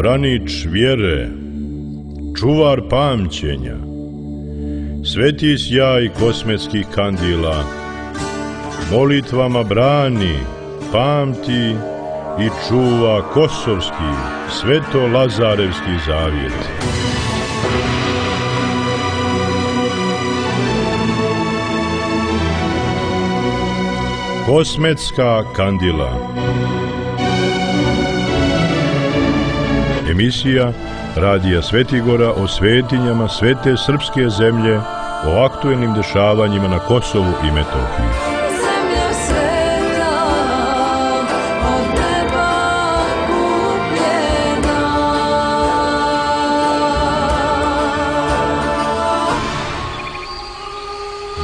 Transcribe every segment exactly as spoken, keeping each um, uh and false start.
branič vjere, čuvar pamćenja, sveti sjaj kosmetskih kandila, molitvama brani, pamti i čuva kosovski, sveto-lazarevski zavjet. Kosmetska kandila. Emisija Radija Svetigora o svetinjama svete srpske zemlje, o aktuelnim dešavanjima na Kosovu i Metohiji.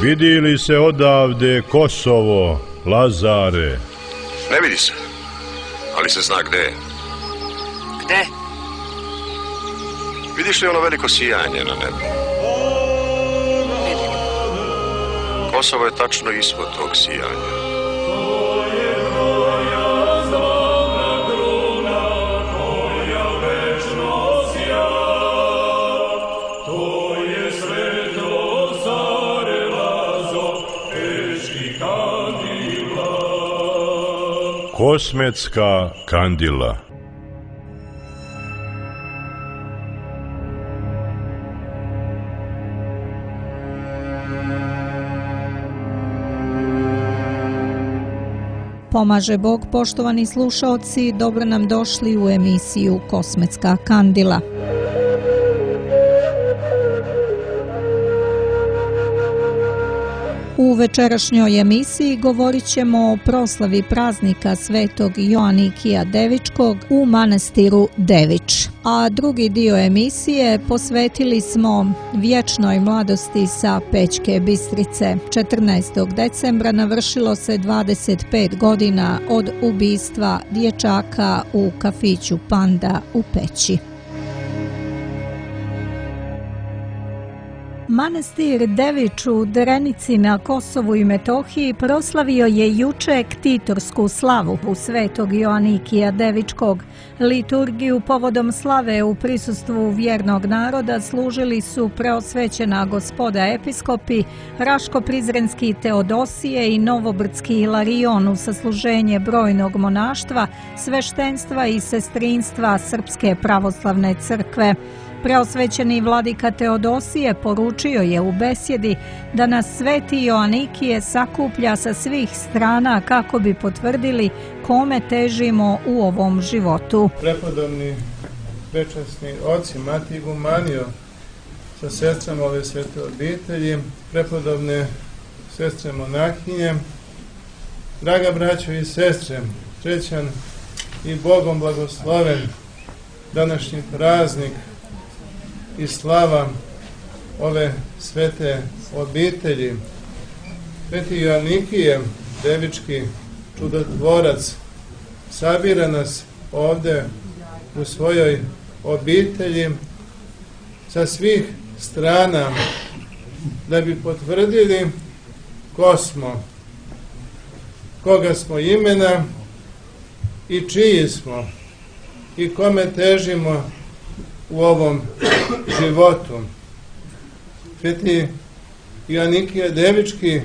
Vidi li se odavde Kosovo, Lazare? Ne vidi se, ali se zna gde je. Gde? Vidiš li ono veliko sijanje na nebu? Kosovo je tačno ispod tog sijanja. Kosmetska kandila. Pomaže Bog, poštovani slušaoci, dobro nam došli u emisiju Kosmetska kandila. U večerašnjoj emisiji govorit ćemo o proslavi praznika svetog Joanikija Devičkog u manastiru Devič. A drugi dio emisije posvetili smo vječnoj mladosti sa Pećke Bistrice. četrnaestog decembra navršilo se dvadeset pet godina od ubistva dječaka u kafiću Panda u Peći. Manastir Devič u Drenici na Kosovu i Metohiji proslavio je juče ktitorsku slavu u svetog Joanikija Devičkog. Liturgiju povodom slave u prisustvu vjernog naroda služili su preosvećena gospoda episkopi, Raško-Prizrenski Teodosije i Novobrdski Ilarion u sasluženje brojnog monaštva, sveštenstva i sestrinstva Srpske pravoslavne crkve. Preosvećeni vladika Teodosije poručio je u besjedi da nas sveti Joanikije sakuplja sa svih strana kako bi potvrdili kome težimo u ovom životu. Prepodobni večasni oci Matij Gumanio sa sestrama ove svete obitelji, prepodobne sestre monahinje, draga braćo i sestre, srećan i Bogom blagosloven današnji praznik i slava ove svete obitelji. Sveti Joanikije Devički čudotvorac sabira nas ovde u svojoj obitelji sa svih strana da bi potvrdili ko smo, koga smo imena i čiji smo i kome težimo u ovom životu. Sveti Joanikije Devički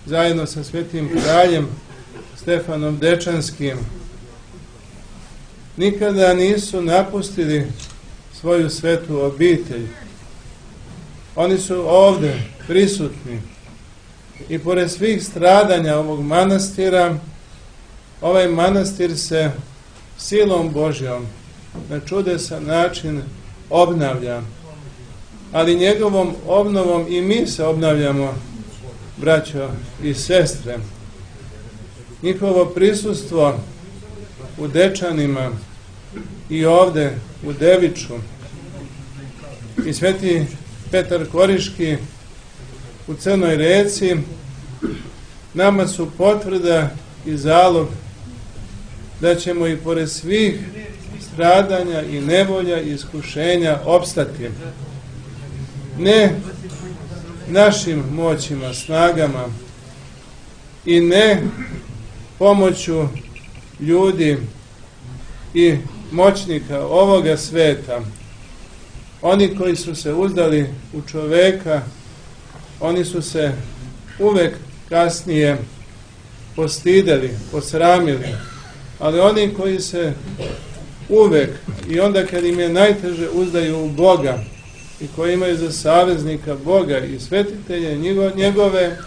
zajedno sa svetim kraljem Stefanom Dečanskim nikada nisu napustili svoju svetu obitelj. Oni su ovde prisutni i pored svih stradanja ovog manastira, ovaj manastir se silom Božjom na čudesan način obnavlja, ali njegovom obnovom i mi se obnavljamo, braćo i sestre. Njihovo prisustvo u Dečanima i ovde u Deviču i sveti Petar Koriški u Crnoj Reci nama su potvrda i zalog da ćemo i pored svih stradanja i nevolja i iskušenja opstati. Ne našim moćima, snagama i ne pomoću ljudi i moćnika ovoga sveta, oni koji su se uzdali u čoveka, oni su se uvek kasnije postideli, posramili, ali oni koji se uvek i onda kad im je najteže uzdaju u Boga i koji imaju za saveznika Boga i svetitelje njegove,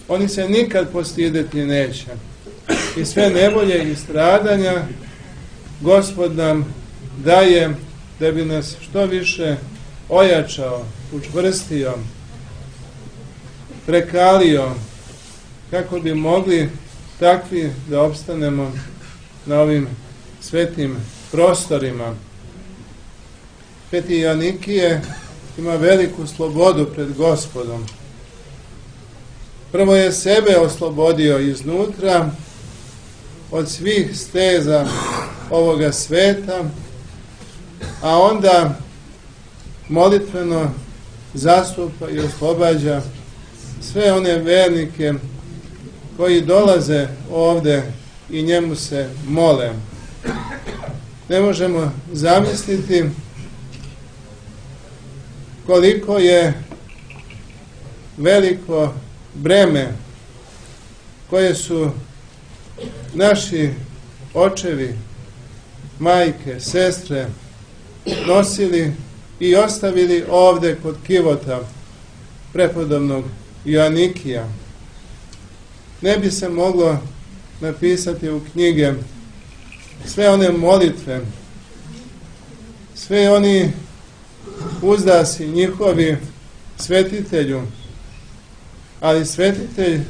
oni se nikad postideti neće. I sve nevolje i stradanja Gospod nam daje da bi nas što više ojačao, učvrstio, prekalio, kako bi mogli takvi da opstanemo na ovim svetim prostorima. Sveti Joanikije ima veliku slobodu pred Gospodom. Prvo je sebe oslobodio iznutra od svih steza ovoga sveta, a onda molitveno zastupa i oslobađa sve one vernike koji dolaze ovde i njemu se mole. Ne možemo zamisliti koliko je veliko breme koje su naši očevi, majke, sestre nosili i ostavili ovde kod kivota prepodobnog Joanikija. Ne bi se moglo napisati u knjige sve one molitve, sve oni uzdasi njihovi svetitelju, ali svetitelj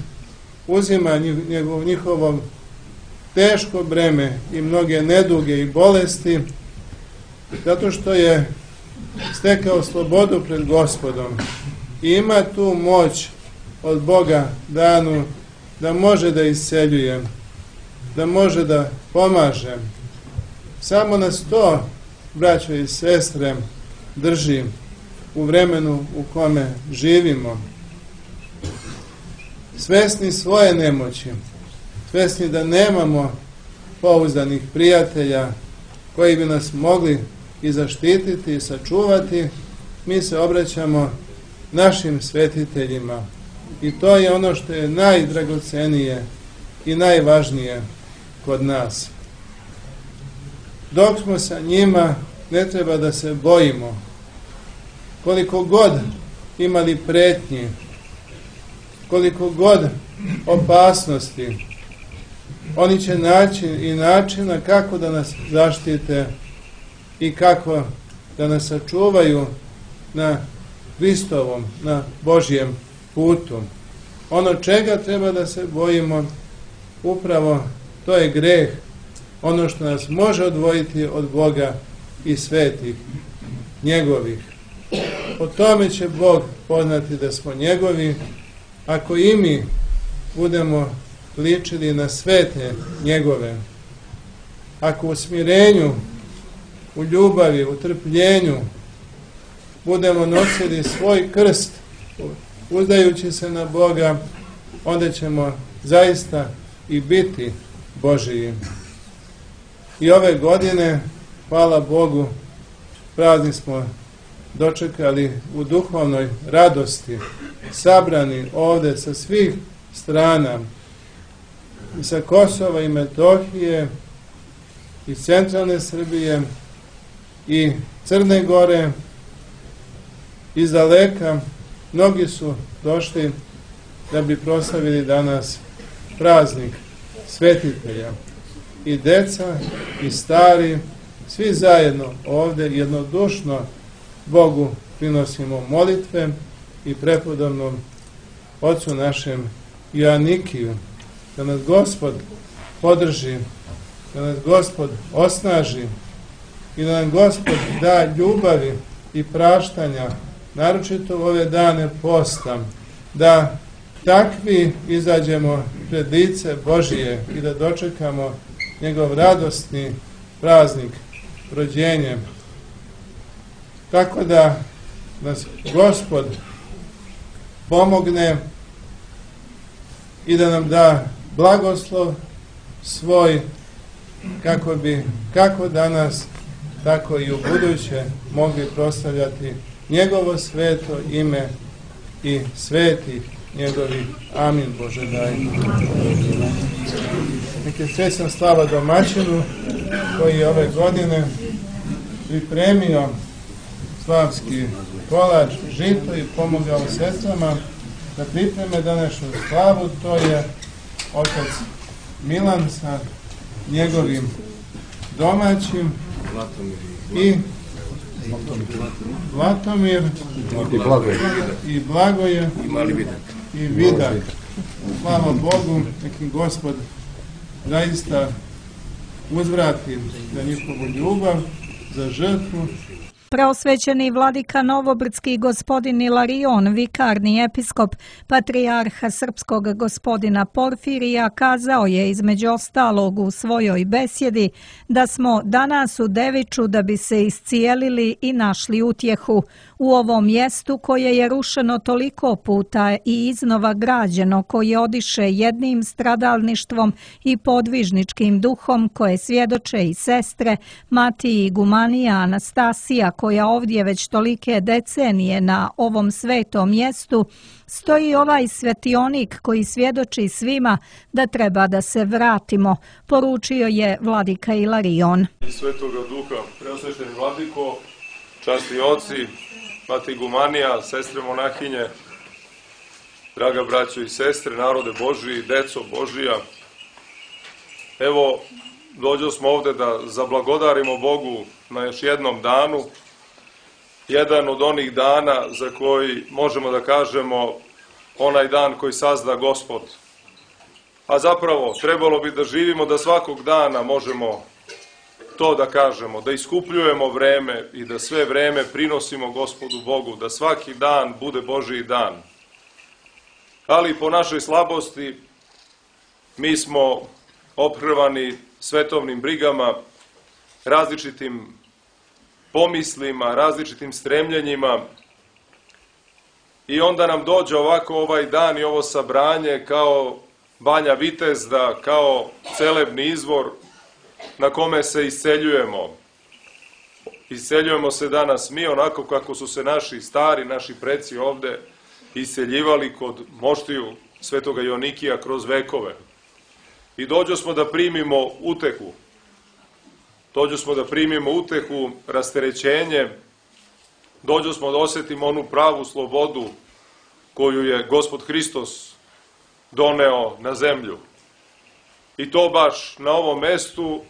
uzima njegov, njihovo teško breme i mnoge neduge i bolesti, zato što je stekao slobodu pred Gospodom i ima tu moć od Boga danu da može da isceljuje, da može da pomaže. Samo nas to, braćo i sestre, drži u vremenu u kome živimo. Svesni svoje nemoći, svesni da nemamo pouzdanih prijatelja koji bi nas mogli i zaštititi i sačuvati, mi se obraćamo našim svetiteljima. I to je ono što je najdragocenije i najvažnije kod nas. Dok smo sa njima, ne treba da se bojimo. Koliko god imali pretnji, koliko god opasnosti, oni će naći i načina kako da nas zaštite i kako da nas sačuvaju na Hristovom, na Božjem putu. Ono čega treba da se bojimo, upravo to je greh, ono što nas može odvojiti od Boga i svetih njegovih. O tome će Bog poznati da smo njegovi, ako i mi budemo ličili na svete njegove. Ako u smirenju, u ljubavi, u trpljenju budemo nosili svoj krst, uzdajući se na Boga, onda ćemo zaista i biti Božiji. I ove godine, hvala Bogu, praznik smo dočekali u duhovnoj radosti, sabrani ovde sa svih strana, i sa Kosova i Metohije, i centralne Srbije, i Crne Gore, iz daleka. Mnogi su došli da bi proslavili danas praznik svetitelja. I deca, i stari, svi zajedno ovde jednodušno Bogu prinosimo molitve i prepodobnom Otcu našem Joanikiju, da nas Gospod podrži, da nas Gospod osnaži i da nam Gospod da ljubavi i praštanja, naročito u ove dane posta, da takvi izađemo pred lice Božije i da dočekamo njegov radosni praznik, rođenje. Tako da nas Gospod pomogne i da nam da blagoslov svoj kako bi kako danas, tako i u buduće mogli proslavljati njegovo sveto ime i sveti njegovi. Amin. Bože daj. Neke srećna slava domaćinu koji je ove godine pripremio slavski kolač, žito i pomogao sestrama da pripreme današnju slavu. To je otac Milan sa njegovim domaćim i Vlatomir i Blagoje i Vidak. Slava Bogu, neki Gospod zaista uzvrati za njihovu ljubav, za žrtvu. Preosvećeni vladika Novobrdski gospodin Ilarion, vikarni episkop patrijarha srpskog gospodina Porfirija, kazao je između ostalog u svojoj besjedi da smo danas u Deviču da bi se iscijelili i našli utjehu u ovom mjestu koje je rušeno toliko puta i iznova građeno, koje odiše jednim stradalništvom i podvižničkim duhom koje svjedoče i sestre Matiji Gumanija Anastasija, koja ovdje već tolike decenije na ovom svetom mjestu, stoji ovaj svetionik koji svjedoči svima da treba da se vratimo, poručio je vladika Ilarion. Svetoga duha, preosvećeni vladiko, časni oci, Matija Gumanija, sestre monahinje, draga braćo i sestre, narode Božiji, deco Božija. Evo, dođo smo ovde da zablagodarimo Bogu na još jednom danu, jedan od onih dana za koji možemo da kažemo onaj dan koji sazda Gospod. A zapravo, trebalo bi da živimo da svakog dana možemo to da kažemo, da iskupljujemo vreme i da sve vreme prinosimo Gospodu Bogu, da svaki dan bude Božiji dan. Ali po našoj slabosti mi smo ophrvani svetovnim brigama, različitim pomislima, različitim stremljenjima i onda nam dođe ovako ovaj dan i ovo sabranje kao Banja Vitezda, kao celebni izvor na kome se isceljujemo. Isceljujemo se danas mi onako kako su se naši stari, naši preci ovde isceljivali kod moštiju svetoga Joanikija kroz vekove. I dođo smo da primimo utehu. Dođo smo da primimo utehu, rasterećenje. Dođo smo da osjetimo onu pravu slobodu koju je Gospod Hristos doneo na zemlju. I to baš na ovom mestu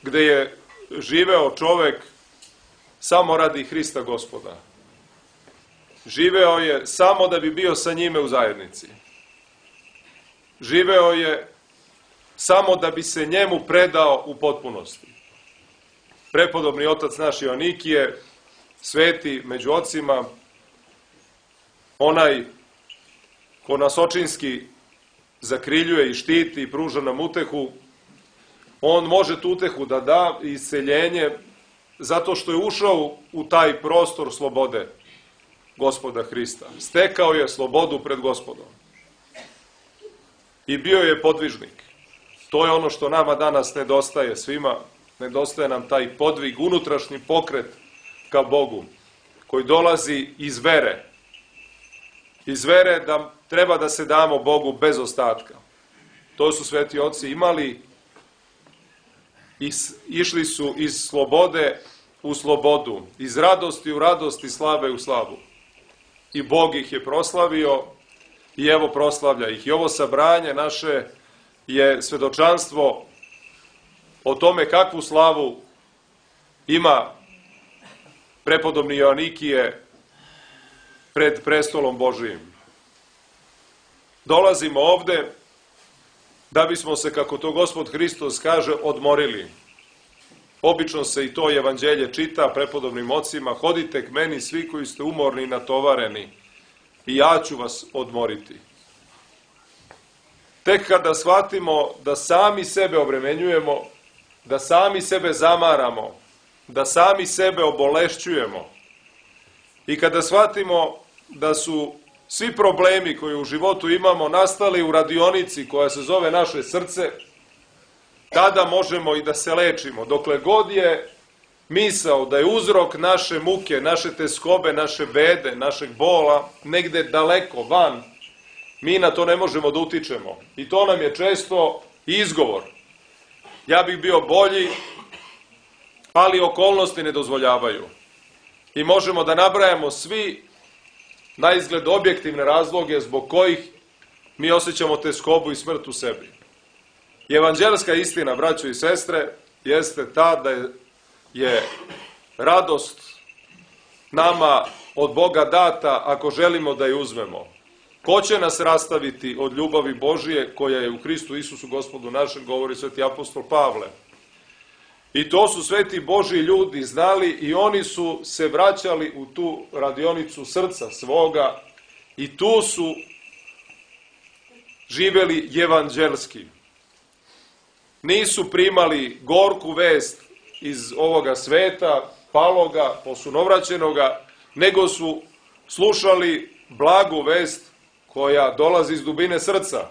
gde je živeo čovek samo radi Hrista Gospoda. Živeo je samo da bi bio sa njime u zajednici. Živeo je samo da bi se njemu predao u potpunosti. Prepodobni otac naš Joanikije, sveti među ocima, onaj ko nas očinski zakriljuje i štiti i pruža nam utehu, on može tu utehu da da i isceljenje zato što je ušao u taj prostor slobode Gospoda Hrista. Stekao je slobodu pred Gospodom. I bio je podvižnik. To je ono što nama danas nedostaje svima. Nedostaje nam taj podvig, unutrašnji pokret ka Bogu, koji dolazi iz vere. Iz vere da treba da se damo Bogu bez ostatka. To su sveti oci imali i išli su iz slobode u slobodu, iz radosti u radost i slave u slavu. I Bog ih je proslavio i evo proslavlja ih. I ovo sabranje naše je svedočanstvo o tome kakvu slavu ima prepodobni Joanikije pred prestolom Božijim. Dolazimo ovde da bismo se, kako to Gospod Hristos kaže, odmorili. Obično se i to evanđelje čita prepodobnim ocima: hodite k meni svi koji ste umorni i natovareni i ja ću vas odmoriti. Tek kada shvatimo da sami sebe obremenjujemo, da sami sebe zamaramo, da sami sebe obolešćujemo i kada shvatimo da su svi problemi koje u životu imamo nastali u radionici koja se zove naše srce, tada možemo i da se lečimo. Dokle god je misao da je uzrok naše muke, naše teskobe, naše bede, našeg bola, negde daleko, van, mi na to ne možemo da utičemo. I to nam je često izgovor. Ja bih bio bolji, ali okolnosti ne dozvoljavaju. I možemo da nabrajamo svi na izgled objektivne razloge zbog kojih mi osjećamo teskobu i smrt u sebi. I evanđelska istina, braćo i sestre, jeste ta da je, je radost nama od Boga data ako želimo da je uzmemo. Ko će nas rastaviti od ljubavi Božije koja je u Hristu Isusu Gospodu našem, govori sveti apostol Pavle. I to su sveti Božji ljudi znali i oni su se vraćali u tu radionicu srca svoga i tu su živeli evanđelski. Nisu primali gorku vest iz ovoga sveta, paloga, posunovraćenoga, nego su slušali blagu vest koja dolazi iz dubine srca.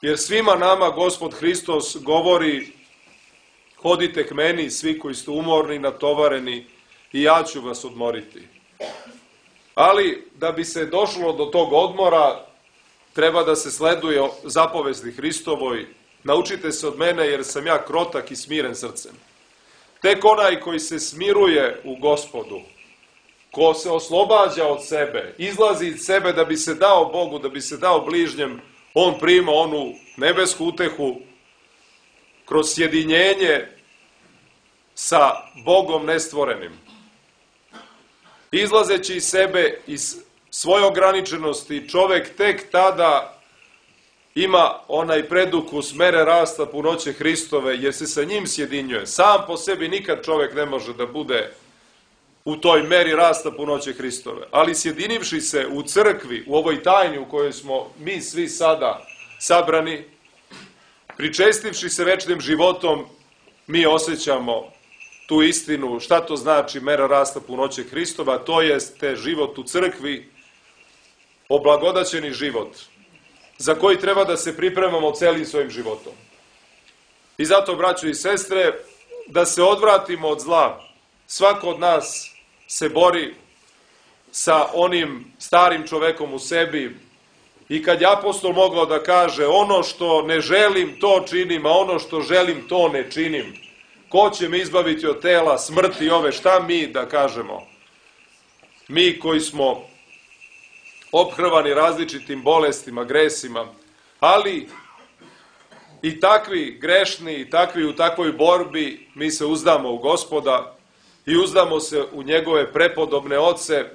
Jer svima nama Gospod Hristos govori: hodite k meni, svi koji ste umorni, natovareni, i ja ću vas odmoriti. Ali, da bi se došlo do tog odmora, treba da se sleduje zapovesti Hristovoj: naučite se od mene, jer sam ja krotak i smiren srcem. Tek onaj koji se smiruje u Gospodu, ko se oslobađa od sebe, izlazi iz sebe da bi se dao Bogu, da bi se dao bližnjem, on prima onu nebesku utehu kroz sjedinjenje sa Bogom nestvorenim. Izlazeći iz sebe, iz svoje ograničenosti, čovek tek tada ima onaj predukus mere rasta punoće Hristove, jer se sa njim sjedinjuje. Sam po sebi nikad čovek ne može da bude u toj meri rasta punoće Hristove. Ali sjedinivši se u crkvi, u ovoj tajni u kojoj smo mi svi sada sabrani, pričestivši se večnim životom, mi osjećamo tu istinu, šta to znači mera rasta punoće Hristova, to jeste život u crkvi, oblagodaćeni život, za koji treba da se pripremamo celim svojim životom. I zato, braćo i sestre, da se odvratimo od zla. Svako od nas se bori sa onim starim čovekom u sebi, i kad je apostol mogao da kaže: ono što ne želim, to činim, a ono što želim, to ne činim. Ko će me izbaviti od tela, smrti ove? Šta mi da kažemo? Mi koji smo ophrvani različitim bolestima, gresima, ali i takvi grešni, i takvi u takvoj borbi, mi se uzdamo u Gospoda i uzdamo se u njegove prepodobne oce,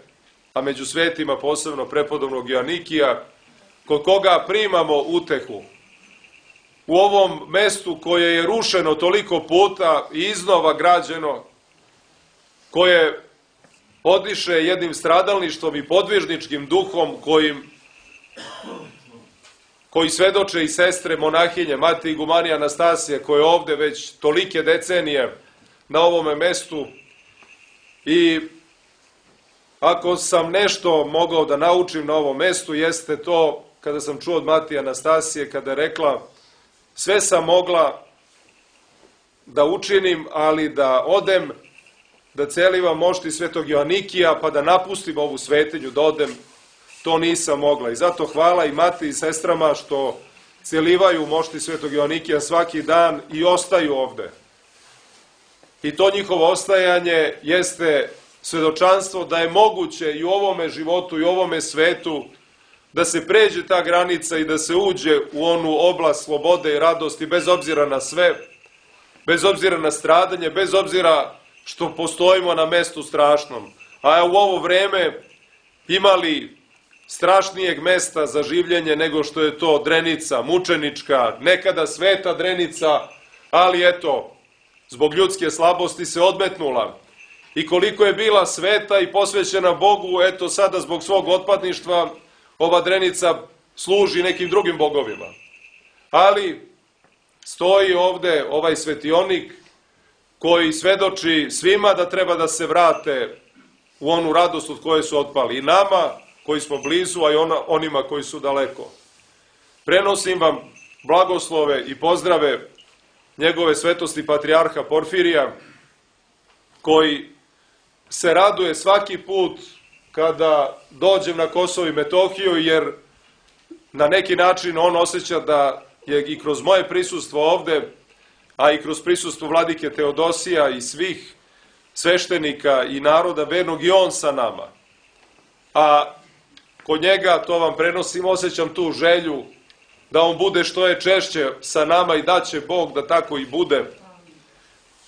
a među svetima posebno prepodobnog Joanikija, kod koga primamo utehu. U ovom mestu koje je rušeno toliko puta i iznova građeno, koje odiše jednim stradalništvom i podvižničkim duhom kojim, koji svedoče i sestre monahinje, mati igumanija Anastasije, koje je ovde već tolike decenije na ovome mestu. I ako sam nešto mogao da naučim na ovom mestu, jeste to kada sam čuo od mati Anastasije, kada je rekla: sve sam mogla da učinim, ali da odem, da celivam mošti svetog Joanikija, pa da napustim ovu svetinju, da odem, to nisam mogla. I zato hvala i mati i sestrama što celivaju mošti svetog Joanikija svaki dan i ostaju ovde. I to njihovo ostajanje jeste svedočanstvo da je moguće i u ovome životu i u ovome svetu da se pređe ta granica i da se uđe u onu oblast slobode i radosti, bez obzira na sve, bez obzira na stradanje, bez obzira što postojimo na mestu strašnom. A u ovo vreme imali strašnijeg mesta za življenje nego što je to Drenica, mučenička, nekada sveta Drenica, ali eto, zbog ljudske slabosti se odmetnula. I koliko je bila sveta i posvećena Bogu, eto sada zbog svog otpadništva ova Drenica služi nekim drugim bogovima. Ali stoji ovde ovaj svetionik koji svedoči svima da treba da se vrate u onu radost od koje su otpali. I nama koji smo blizu, a i ona, onima koji su daleko. Prenosim vam blagoslove i pozdrave njegove svetosti patrijarha Porfirija, koji se raduje svaki put kada dođem na Kosovo i Metohiju, jer na neki način on osjeća da je i kroz moje prisustvo ovde, a i kroz prisustvo vladike Teodosija i svih sveštenika i naroda vernog, i on sa nama. A kod njega, to vam prenosim, osjećam tu želju da on bude što je češće sa nama i da će Bog da tako i bude,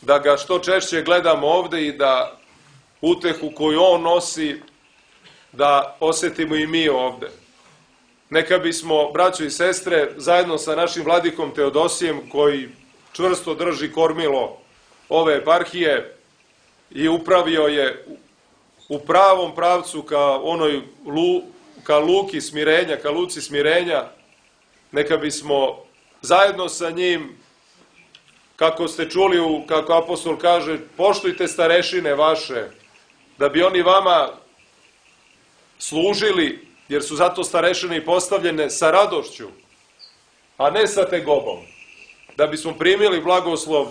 da ga što češće gledamo ovde i da utehu koju on nosi, da osjetimo i mi ovde. Neka bismo, braćo i sestre, zajedno sa našim vladikom Teodosijem, koji čvrsto drži kormilo ove eparhije i upravio je u pravom pravcu ka onoj lu, ka luki smirenja, ka luci smirenja, neka bismo zajedno sa njim, kako ste čuli, kako apostol kaže, poštujte starešine vaše, da bi oni vama služili, jer su zato starešine i postavljene sa radošću, a ne sa tegobom, da bismo primili blagoslov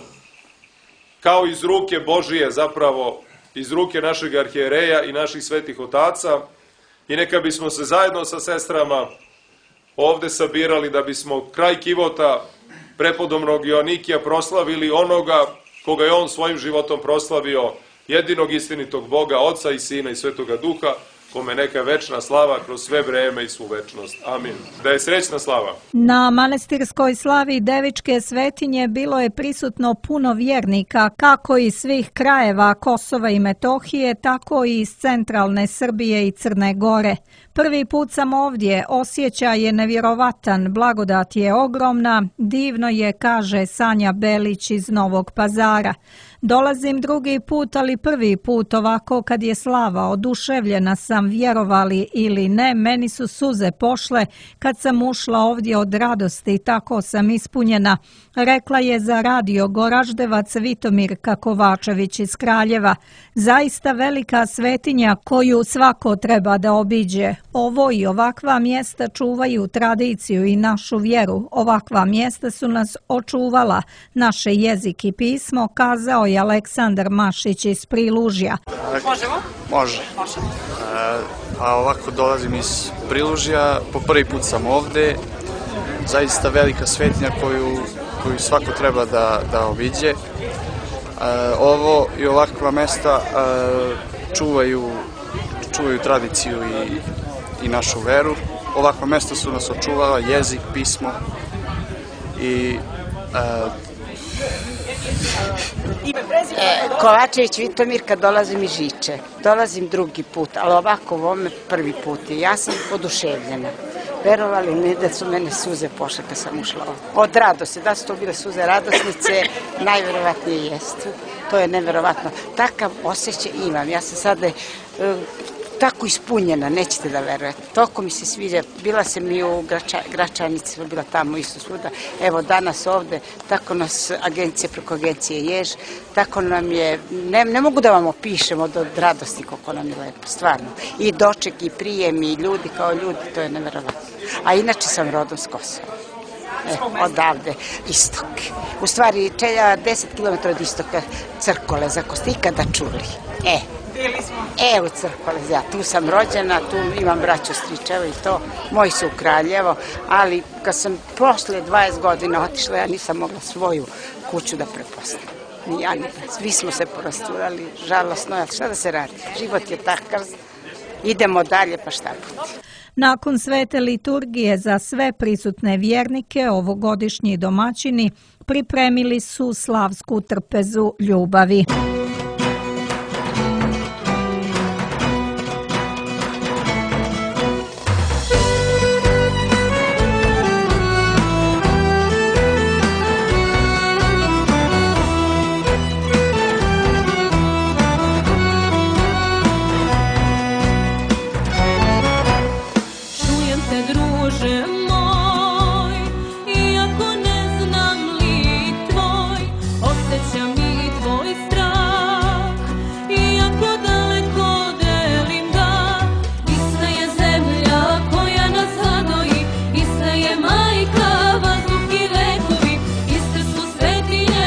kao iz ruke Božije, zapravo iz ruke našeg arhijereja i naših svetih otaca, i neka bismo se zajedno sa sestrama ovde sabirali da bismo kraj kivota prepodobnog Joanikija proslavili onoga koga je on svojim životom proslavio, jedinog istinitog Boga, Oca i Sina i Svetoga Duha, kome neka večna slava kroz sve vreme i svu večnost. Amin. Da je srećna slava. Na manastirskoj slavi Devičke svetinje bilo je prisutno puno vjernika, kako iz svih krajeva Kosova i Metohije, tako i iz centralne Srbije i Crne Gore. Prvi put sam ovdje, osjećaj je nevjerovatan, blagodat je ogromna, divno je, kaže Sanja Belić iz Novog Pazara. Dolazim drugi put, ali prvi put ovako kad je slava, oduševljena sam, vjerovali ili ne, meni su suze pošle kad sam ušla ovdje od radosti, tako sam ispunjena, rekla je za radio Goraždevac Vitomirka Kovačević iz Kraljeva. Zaista velika svetinja koju svako treba da obiđe. Ovo i ovakva mjesta čuvaju tradiciju i našu vjeru. Ovakva mjesta su nas očuvala, naše jezik i pismo, kazao je Aleksandar Mašić iz Prilužja. Možemo? Može. Možemo. E, a ovako dolazim iz Prilužja, po prvi put sam ovde, zaista velika svetinja koju, koju svako treba da, da obiđe. E, ovo i ovakva mesta e, čuvaju, čuvaju tradiciju i, i našu veru. Ovakva mesta su nas očuvala, jezik, pismo i e, E, Kovačević Vitomirka, dolazim iz Žiče. Dolazim drugi put, ali ovako u ovome prvi put. I ja sam oduševljena. Verovali mi da su mene suze pošle kad sam ušla ovdje. Od radosti, da su to bile suze radosnice, najverovatnije jeste. To je neverovatno. Takav osjećaj imam. Ja sam sada e, tako ispunjena, nećete da verujete. Toko mi se sviđa. Bila sam i u Grača, Gračanici, bila tamo isto svuda. Evo danas ovde, tako nas agencija preko agencije Jež, tako nam je, ne, ne mogu da vam opišem od, od radosti koliko nam je lepo, stvarno. I doček, i prijem, i ljudi kao ljudi, to je neverovatno. A inače sam rodom s Kosova. E, odavde, istok. U stvari, čelja deset kilometara od istoka, Crkole, za ko ste ikada čuli. E, E, u Crkole, ja tu sam rođena, tu imam braću stričeva i to, moji su u Kraljevo, ali kad sam posle dvadeset godina otišla, ja nisam mogla svoju kuću da prepoznam. Ni ja, ni svi smo se porasturali, žalostno, šta da se radi? Život je takav, idemo dalje, pa šta bude? Nakon svete liturgije za sve prisutne vjernike, ovogodišnji domaćini pripremili su slavsku trpezu ljubavi. Ista je majka, vazduh i vekovi, iste su svetinje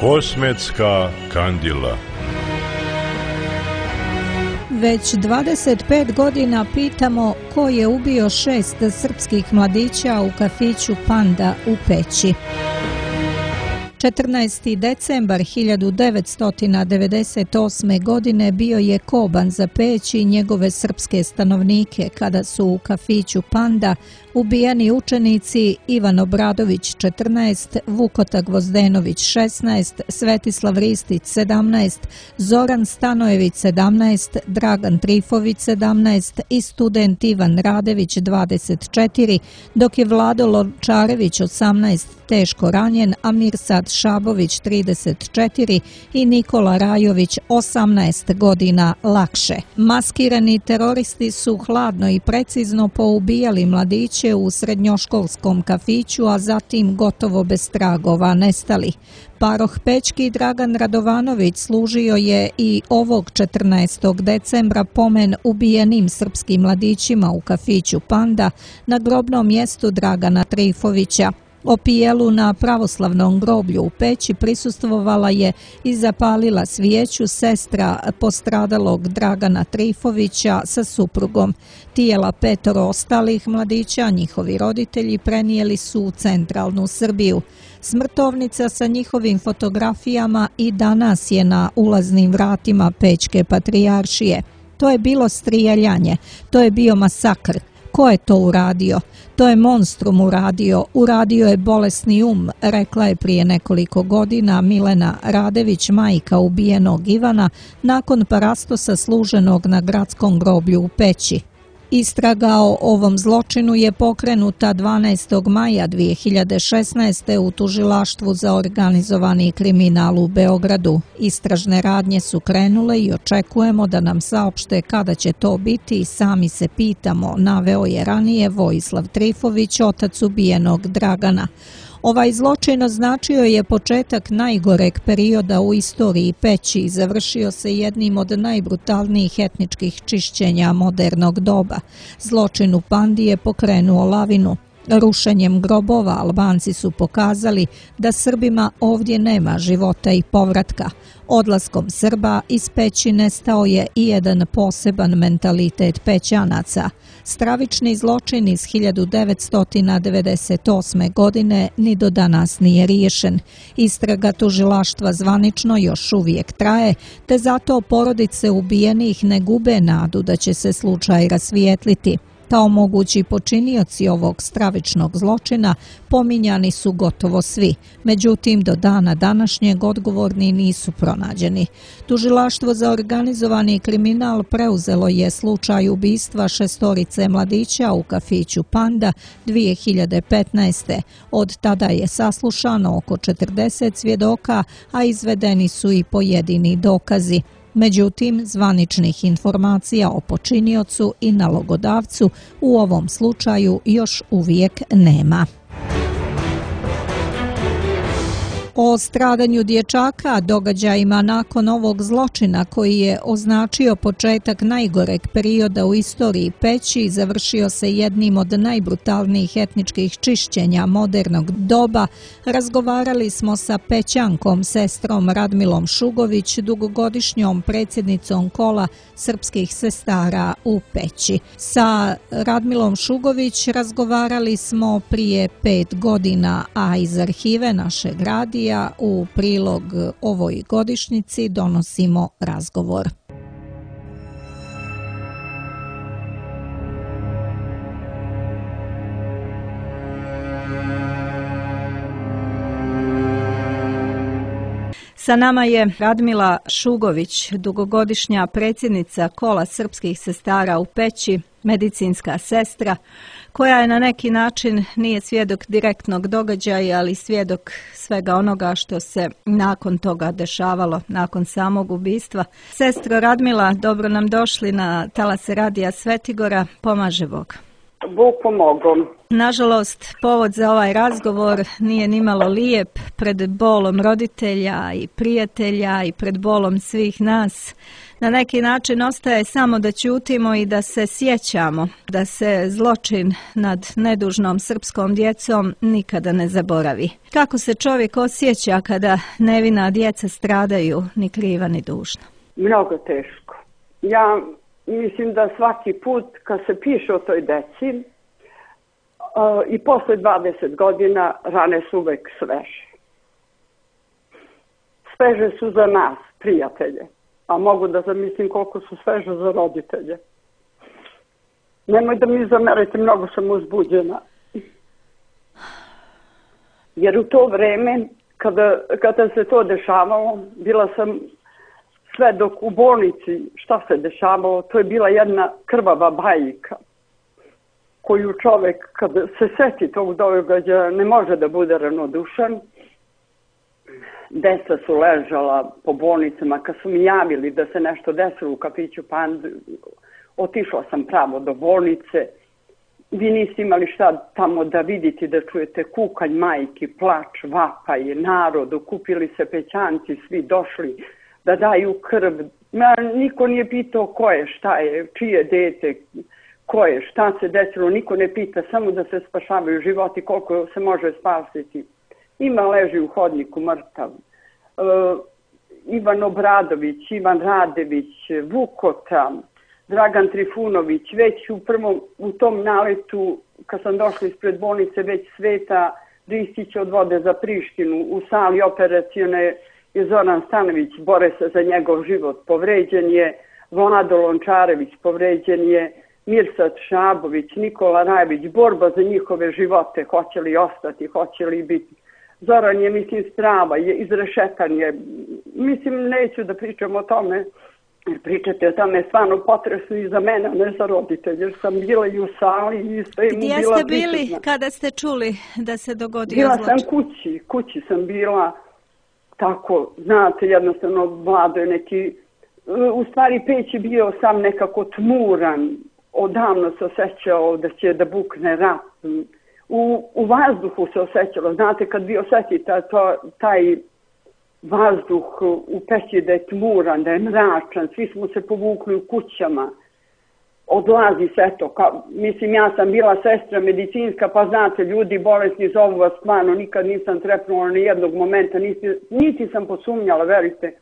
Osmetska kandila. Već dvadeset pet godina pitamo ko je ubio šest srpskih mladića u kafiću Panda u Peći. četrnaesti decembar hiljadu devetsto devedeset osme. godine bio je koban za Peć i njegove srpske stanovnike kada su u kafiću Panda ubijeni učenici Ivan Obradović četrnaest, Vukota Gvozdenović šesnaest, Svetislav Ristić sedamnaest, Zoran Stanojević sedamnaest, Dragan Trifović sedamnaest i student Ivan Radević dvadeset četiri, dok je Vlado Lončarević osamnaest teško ranjen, a Mirsad Šabović trideset četiri i Nikola Rajović osamnaest godina lakše. Maskirani teroristi su hladno i precizno poubijali mladiće u srednjoškolskom kafiću, a zatim gotovo bez tragova nestali. Paroh pećki Dragan Radovanović služio je i ovog četrnaestog decembra pomen ubijenim srpskim mladićima u kafiću Panda na grobnom mjestu Dragana Trifovića. Opijelu na pravoslavnom groblju u Peći prisustvovala je i zapalila svijeću sestra postradalog Dragana Trifovića sa suprugom. Tijela petoro ostalih mladića, njihovi roditelji, prenijeli su u centralnu Srbiju. Smrtovnica sa njihovim fotografijama i danas je na ulaznim vratima Pećke patrijaršije. To je bilo strijeljanje, to je bio masakr. Ko je to uradio? To je monstrum uradio, uradio je bolesni um, rekla je prije nekoliko godina Milena Radević, majka ubijenog Ivana, nakon parastosa služenog na gradskom groblju u Peći. Istraga o ovom zločinu je pokrenuta dvanaestog maja dvije hiljade šesnaeste. u tužilaštvu za organizovani kriminal u Beogradu. Istražne radnje su krenule i očekujemo da nam saopšte kada će to biti i sami se pitamo, naveo je ranije Vojislav Trifović, otac ubijenog Dragana. Ovaj zločin označio je početak najgoreg perioda u istoriji Peći i završio se jednim od najbrutalnijih etničkih čišćenja modernog doba. Zločin u Pandi je pokrenuo lavinu. Rušenjem grobova Albanci su pokazali da Srbima ovdje nema života i povratka. Odlaskom Srba iz Peći nestao je i jedan poseban mentalitet Pećanaca. Stravični zločin iz hiljadu devetsto devedeset osme. godine ni do danas nije riješen. Istraga tužilaštva zvanično još uvijek traje, te zato porodice ubijenih ne gube nadu da će se slučaj rasvijetliti. Kao mogući počinioci ovog stravičnog zločina pominjani su gotovo svi, međutim do dana današnjeg odgovorni nisu pronađeni. Tužilaštvo za organizovani kriminal preuzelo je slučaj ubistva šestorice mladića u kafiću Panda dvije hiljade petnaeste. Od tada je saslušano oko četrdeset svjedoka, a izvedeni su i pojedini dokazi. Međutim, zvaničnih informacija o počiniocu i nalogodavcu u ovom slučaju još uvijek nema. O stradanju dječaka, događajima nakon ovog zločina koji je označio početak najgoreg perioda u istoriji Peći, završio se jednim od najbrutalnijih etničkih čišćenja modernog doba, razgovarali smo sa Pećankom, sestrom Radmilom Šugović, dugogodišnjom predsjednicom kola srpskih sestara u Peći. Sa Radmilom Šugović razgovarali smo prije pet godina, a iz arhive našeg radija u prilog ovoj godišnjici donosimo razgovor. Sa nama je Radmila Šugović, dugogodišnja predsjednica kola srpskih sestara u Peći, medicinska sestra, koja je na neki način nije svjedok direktnog događaja, ali svjedok svega onoga što se nakon toga dešavalo, nakon samog ubistva. Sestro Radmila, dobro nam došli na talase radija Svetigora, pomaže Bog. Bog pomogao. Nažalost, povod za ovaj razgovor nije nimalo lijep. Pred bolom roditelja i prijatelja i pred bolom svih nas. Na neki način ostaje samo da ćutimo i da se sjećamo, da se zločin nad nedužnom srpskom djecom nikada ne zaboravi. Kako se čovjek osjeća kada nevina djeca stradaju, ni kriva ni dužna? Mnogo teško. Ja mislim da svaki put kad se piše o toj deci uh, i posle dvadeset godina rane su uvek sveže. Sveže su za nas, prijatelje. A mogu da zamislim koliko su sveže za roditelje. Nemoj da mi zamerite, mnogo sam uzbuđena. Jer u to vreme, kada, kada se to dešavalo, bila sam sve dok u bolnici, šta se dešavalo, to je bila jedna krvava bajka koju čovjek, kada se seti tog događaja, ne može da bude ravnodušan. Deca su ležala po bolnicama, kad su mi javili da se nešto desilo u kafiću Pandu, otišla sam pravo do bolnice. Vi niste imali šta tamo da vidite, da čujete kukanj majki, plač, vapaj, narod, okupili se pećanci, svi došli da daju krv. Ma, niko nije pitao ko je, šta je, čije dete, ko je, šta se desilo, niko ne pita, samo da se spašavaju životi koliko se može spasiti. Ima leži u hodniku mrtav. Uh, Ivan Obradović, Ivan Radević, Vukota, Dragan Trifunović, već u prvom, u tom naletu, kad sam došla ispred bolnice, već Sveta Ristić odvode za Prištinu, u sali operacione je Zoran Stanović, bore se za njegov život, povređen je Vlado Lončarević, povređen je Mirsad Šabović, Nikola Rajević, borba za njihove živote, hoće li ostati, hoće li biti. Zoran je, mislim, strava, je izrešetan je. Mislim, neću da pričam o tome, jer pričate o tome stvarno potresno i za mene, ne za roditelje, jer sam bila i u sali i sve mu bila. Gdje ste bili prisutna kada ste čuli da se dogodio bila zločin? Bila sam kući, kući sam bila, tako, znate, jednostavno Vlado je neki, u stvari peć je bio sam nekako tmuran, odavno se osjećao da će da bukne rat. U, u vazduhu se osjećalo, znate, kad vi osjetite to, taj vazduh u peći da je tmuran, da je mračan, svi smo se povukli u kućama, odlazi se to, ka, mislim, ja sam bila sestra medicinska, pa znate, ljudi bolesni zovu vas stvarno, nikad nisam trepnula ni jednog momenta, niti, niti sam posumnjala, verite,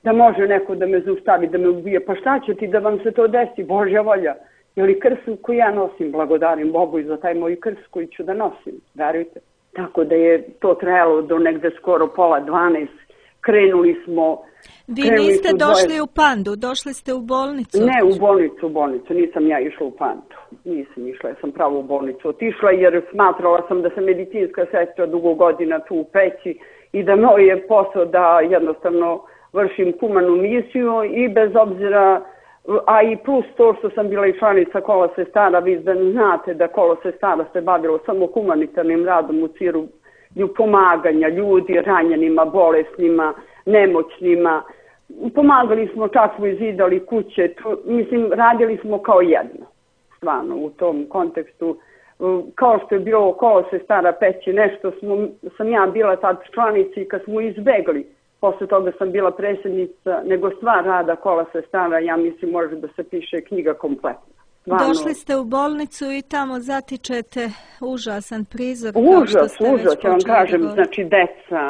da može neko da me zaustavi, da me ubije, pa šta će ti da vam se to desi, Božja volja. Je li krst koju ja nosim, blagodarim Bogu i za taj moj krst koji ću da nosim, verujte. Tako da je to trajalo do negde skoro pola dvanaest. Krenuli smo... Vi niste došli dvoje... u Pandu, došli ste u bolnicu? Ne, u bolnicu, u bolnicu. Nisam ja išla u Pandu. Nisam išla, ja sam pravo u bolnicu otišla jer smatrala sam da sam medicinska sestra dugo godina tu u peći i da moj je posao da jednostavno vršim humanu misiju i bez obzira... A i plus to što sam bila i članica Kola sestara, vi da znate da Kolo sestara se bavilo samo humanitarnim radom u cilju pomaganja ljudi, ranjenima, bolesnima, nemoćnima. Pomagali smo, čak smo izidali kuće, to, mislim, radili smo kao jedno, stvarno, u tom kontekstu. Kao što je bilo Kolo sestara peći, nešto smo, sam ja bila tad članica i kad smo izbegli. Posle toga sam bila predsjednica, nego stvar rada Kola sestara, ja mislim, može da se piše knjiga kompletna. Stvarno. Došli ste u bolnicu i tamo zatičete užasan prizor. Užas, užas, ja vam kažem, znači deca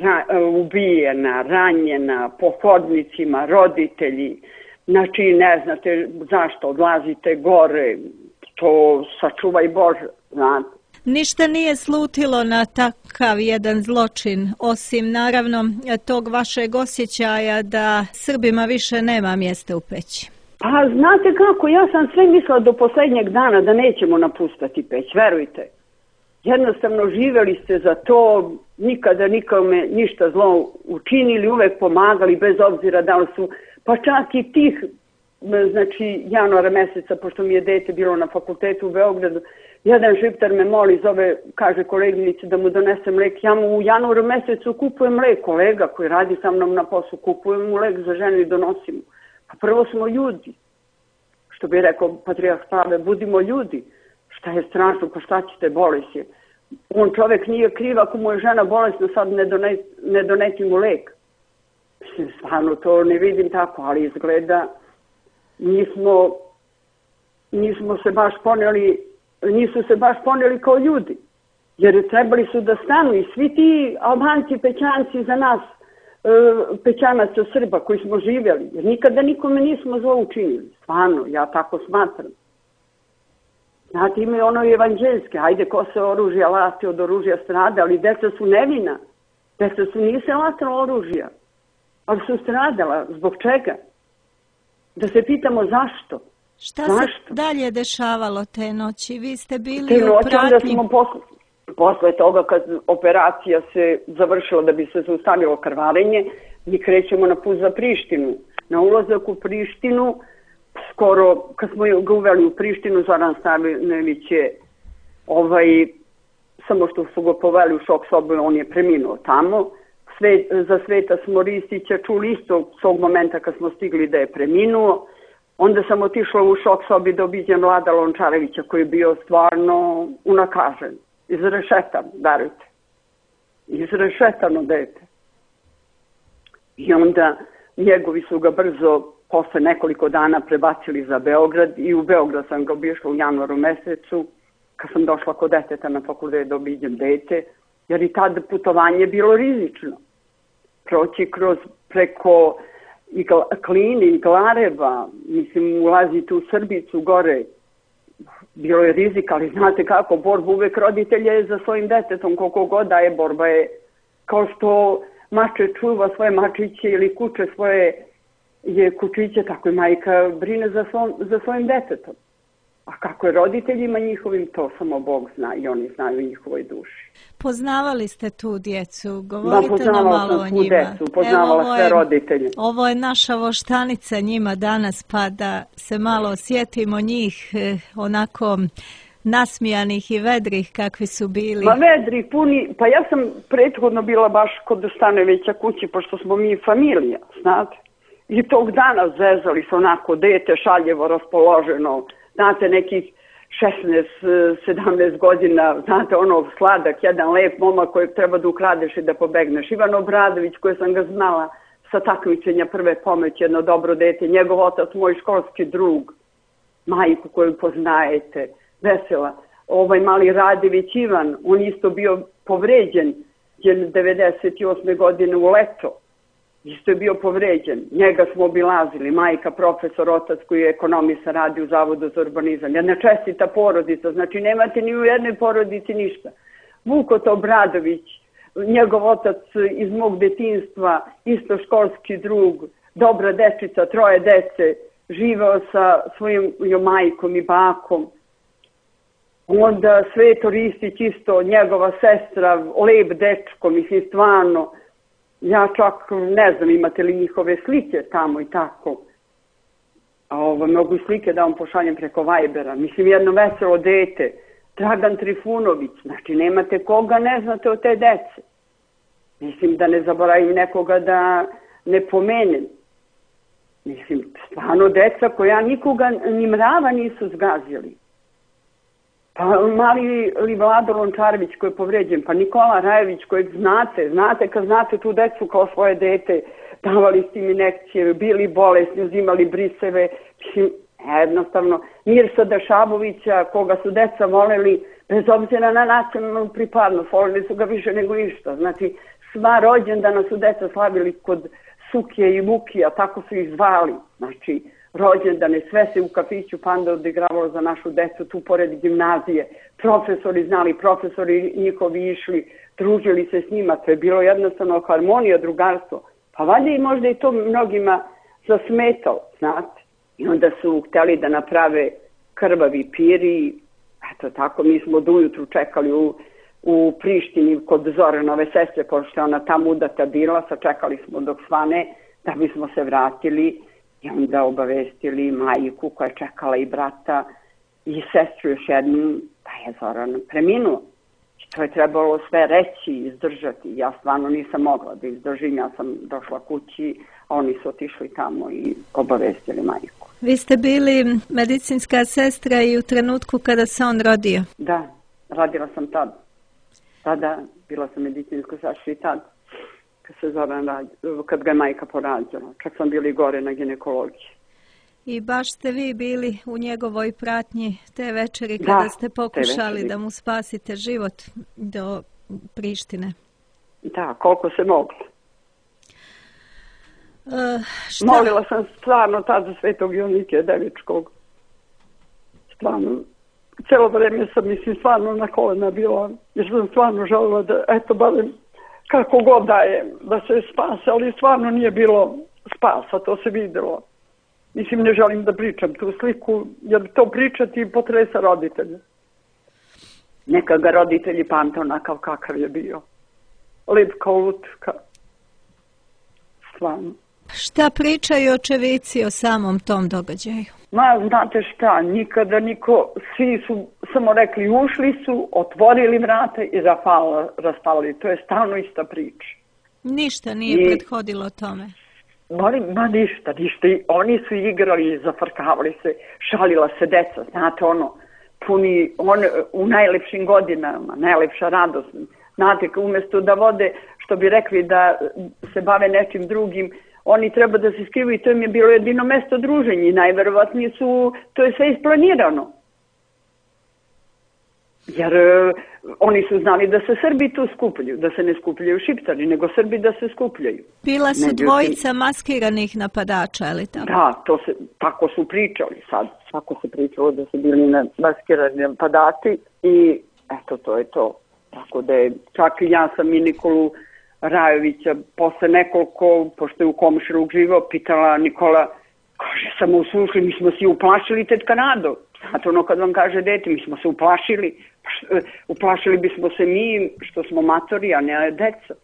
ra, ubijena, ranjena, po hodnicima, roditelji, znači ne znate zašto odlazite gore, to sačuvaj Bože, znate. Ništa nije slutilo na takav jedan zločin, osim naravno tog vašeg osjećaja da Srbima više nema mjesta u peći. Pa znate kako, ja sam sve mislila do posljednjeg dana da nećemo napustati peć, verujte. Jednostavno živjeli ste za to, nikada nikome ništa zlo učinili, uvek pomagali bez obzira da li su, pa čak i tih, znači januara mjeseca, pošto mi je dete bilo na fakultetu u Beogradu, jedan šiptar me moli, zove, kaže koleginici da mu donese mlek. Ja mu u januaru mjesecu kupujem mlek, kolega koji radi sa mnom na poslu, kupujem mu mlek za ženu i donosim mu. Pa prvo smo ljudi, što bi rekao Patrijarh Pavle, budimo ljudi. Šta je strašno, pa šta ćete, bolest je. On čovjek nije kriv ako mu je žena bolesna, sad ne, done, ne doneti mu lek. Mislim, stvarno to ne vidim tako, ali izgleda nismo, nismo se baš poneli, nisu se baš poneli kao ljudi. Jer trebali su da stanu i svi ti Albanci, Pećanci za nas, Pećanaca Srba koji smo živjeli. Jer nikada nikome nismo zlo učinili. Stvarno, ja tako smatram. Znate, imaju ono evanđeljske, hajde ko se oružja lasti od oružja strada, ali deca su nevina. Deca su nise latala oružja, ali su stradala. Zbog čega? Da se pitamo zašto. Šta zašto? se dalje dešavalo te noći? Vi ste bili te u noći, pratnji. Onda smo posle, posle toga kad operacija se završila da bi se zaustavilo krvarenje, mi krećemo na put za Prištinu. Na ulazak u Prištinu, skoro, kad smo ga uveli u Prištinu, Zoran Stanojević je, ovaj, samo što su ga poveli u šok sobu, on je preminuo tamo. Sve, za Sveta smo Ristića čuli isto s ovog momenta kad smo stigli da je preminuo. Onda sam otišla u šok sobi da obiđem Vlada Lončarevića koji je bio stvarno unakažen. Izrešetan, darujte. Izrešetano dete. I onda njegovi su ga brzo posle nekoliko dana prebacili za Beograd i u Beograd sam ga obišla u januaru mesecu kad sam došla kod deteta na fakultet da obiđem dete, jer i tad putovanje je bilo rizično. Proći kroz preko i Kline i Glareva, mislim ulaziti u Srbicu gore, bilo je rizik, ali znate kako, borba uvek roditelja je za svojim detetom, koliko god da je borba je kao što mače čuva svoje mačiće ili kuće svoje je kučiće, tako i majka brine za, svom, za svojim detetom. A kako je roditeljima njihovim, to samo Bog zna i oni znaju njihovoj duši. Poznavali ste tu djecu, govorite da, nam malo o njima. Decu, poznavala Evo, sve je, roditelje. Ovo je naša voštanica njima danas, pa da se malo sjetimo njih eh, onako nasmijanih i vedrih kakvi su bili. Ma vedri, puni, pa ja sam prethodno bila baš kod Stanojevića kući, pošto smo mi familija, znate. I tog dana zezali se onako, dete šaljevo raspoloženo, znate, nekih šesnaest sedamnaest godina, znate, ono sladak, jedan lep momak kojeg treba da ukradeš i da pobegneš. Ivan Obradović, koji sam ga znala sa takmičenja prve pomoći, jedno dobro dete, njegov otac, moj školski drug, majku koju poznajete, vesela. Ovaj mali Radević Ivan, on isto bio povređen devedeset osme godine u leto. Isto je bio povređen. Njega smo obilazili, majka, profesor, otac koji je ekonomista, radi u Zavodu za urbanizam. Jedna čestita porodica, znači nemate ni u jednoj porodici ništa. Vukot Obradović, njegov otac iz mog detinjstva, isto školski drug, dobra dečica, troje dece, živao sa svojim majkom i bakom. Onda Sveto Ristić isto, njegova sestra, lep dečko, mislim stvarno. Ja čak ne znam imate li njihove slike tamo i tako. A ovo, mogu i slike da vam pošaljem preko Vibera. Mislim jedno veselo dete. Dragan Trifunović. Znači nemate koga ne znate od te dece. Mislim da ne zaboravim nekoga da ne pomenem. Mislim stvarno deca koja nikoga ni mrava nisu zgazili. Pa mali li Vlado Lončarević koji je povređen, pa Nikola Rajević kojeg znate, znate kad znate tu decu kao svoje dete, davali ste im injekcije, bili bolesni, uzimali briseve, jednostavno Mirsa Dašabovića koga su deca voleli, bez obzira na nacionalnu pripadnost, voleli su ga više nego ništa. Znači sva rođendana su deca slavili kod Sukije i Vukija, tako su ih zvali, znači rođendane, sve se u kafiću Panda odigravalo za našu decu, tu pored gimnazije. Profesori znali, profesori njihovi išli, družili se s njima, to je bilo jednostavno harmonija, drugarstvo. Pa valjda i možda i to mnogima zasmetalo, znate. I onda su htjeli da naprave krvavi piri, eto tako, mi smo do ujutru čekali u, u Prištini kod Zoranove sestre, pošto je ona tamo udata bila, sačekali smo dok svane, da bismo se vratili. I onda obavestili majku koja je čekala i brata i sestru još jednu, da je Zoran preminuo. I to je trebalo sve reći i izdržati. Ja stvarno nisam mogla da izdržim, ja sam došla kući, a oni su otišli tamo i obavestili majku. Vi ste bili medicinska sestra i u trenutku kada se on rodio? Da, radila sam tad. Tada bila sam medicinska sestra i tad. Kad, se Zoran radi, kad ga je majka porađala. Čak sam bili gore na ginekologiji. I baš ste vi bili u njegovoj pratnji te večeri kada da, ste pokušali da mu spasite život do Prištine. Da, koliko se moglo. Uh, šta? Molila sam stvarno tad za Svetog Jonikija Devičkog. Stvarno. Cijelo vreme sam, mislim, stvarno na kolena bila. Jer sam stvarno željela da, eto, barem kako god da je, da se spase. Ali stvarno nije bilo spasa, to se vidjelo. Mislim, ne želim da pričam tu sliku, jer to pričati potresa roditelja. Neka ga roditelji pamte onakav kakav je bio. Lep kao lutka. Stvarno. Šta pričaju očevici o samom tom događaju? Ma, znate šta, nikada niko, svi su samo rekli ušli su, otvorili vrate i rafala, raspali. To je stalno ista priča. Ništa nije I... prethodilo tome. Ma, ma ništa, ništa. Oni su igrali, zafrkavali se, šalila se deca, znate ono, puni, on, u najlepšim godinama, najlepša radost. Znate, umjesto da vode, što bi rekli da se bave nečim drugim, oni treba da se skrivu i to im je bilo jedino mesto druženja i najverovatnije su, to je sve isplanirano. Jer uh, oni su znali da se Srbi tu skupljaju, da se ne skupljaju Šiptari, nego Srbi da se skupljaju. Bila su Međutim, dvojica maskiranih napadača, ali tako? Da, to se, tako su pričali sad. Tako se pričalo da su bili maskirani napadači i eto, to je to. Tako da je, čak i ja sam i Nikolu Rajovića posle nekoliko, pošto je u komšiluk živao, pitala Nikola, kaže, samo uslušli, mi smo se uplašili, tetka Nado. Znate ono kad vam kaže dete, mi smo se uplašili, uplašili bismo se mi što smo matori, a ne deca.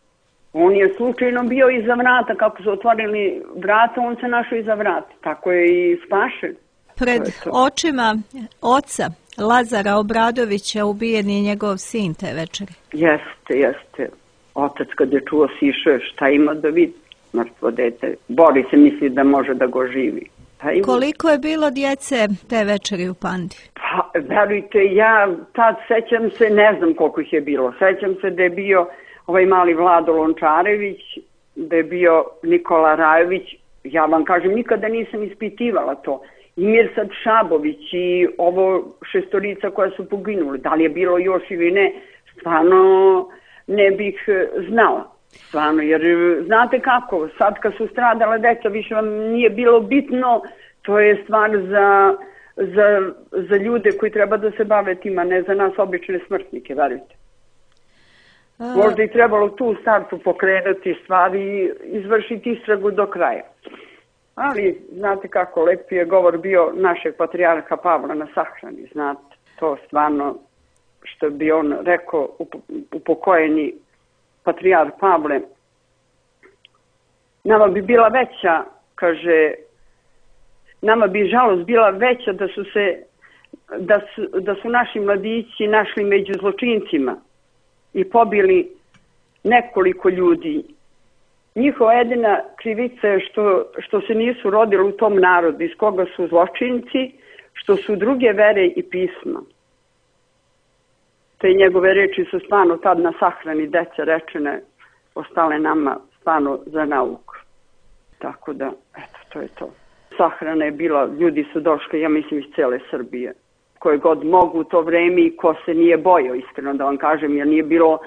On je slučajno bio iza vrata, kako su otvorili vrata, on se našao iza vrata, tako je i spašen. Pred očima oca Lazara Obradovića ubijen je njegov sin te večeri. Jeste, jeste. Otac kad je čuo sišao, šta ima da vidi mrtvo dete. Bori se, misli da može da go živi. Koliko je bilo djece te večeri u Pandi? Pa, verujte, ja tad sećam se, ne znam koliko ih je bilo. Sećam se da je bio ovaj mali Vlado Lončarević, da je bio Nikola Rajović. Ja vam kažem, nikada nisam ispitivala to. I Mirsad Šabović i ovo šestorica koja su poginuli. Da li je bilo još ili ne, stvarno ne bih znala. Stvarno, jer znate kako, sad kad su stradala deca, više vam nije bilo bitno, to je stvar za, za, za ljude koji treba da se bave tima, ne za nas obične smrtnike, verujte. A... Možda i trebalo tu u startu pokrenuti stvari i izvršiti istragu do kraja. Ali, znate kako, lepi je govor bio našeg patrijarha Pavla na sahrani, znate, to stvarno, što bi on rekao, upokojeni patrijar Pavle, nama bi bila veća, kaže, nama bi žalost bila veća da su se, da su, da su naši mladići našli među zločincima i pobili nekoliko ljudi. Njihova jedina krivica je što, što se nisu rodili u tom narodu iz koga su zločinci, što su druge vere i pisma. Te njegove reči su stvarno tad na sahrani dece rečene, ostale nama stvarno za nauku. Tako da, eto, to je to. Sahrana je bila, ljudi su došli, ja mislim, iz cele Srbije. Koje god mogu u to vreme i ko se nije bojao, iskreno da vam kažem, jer nije bilo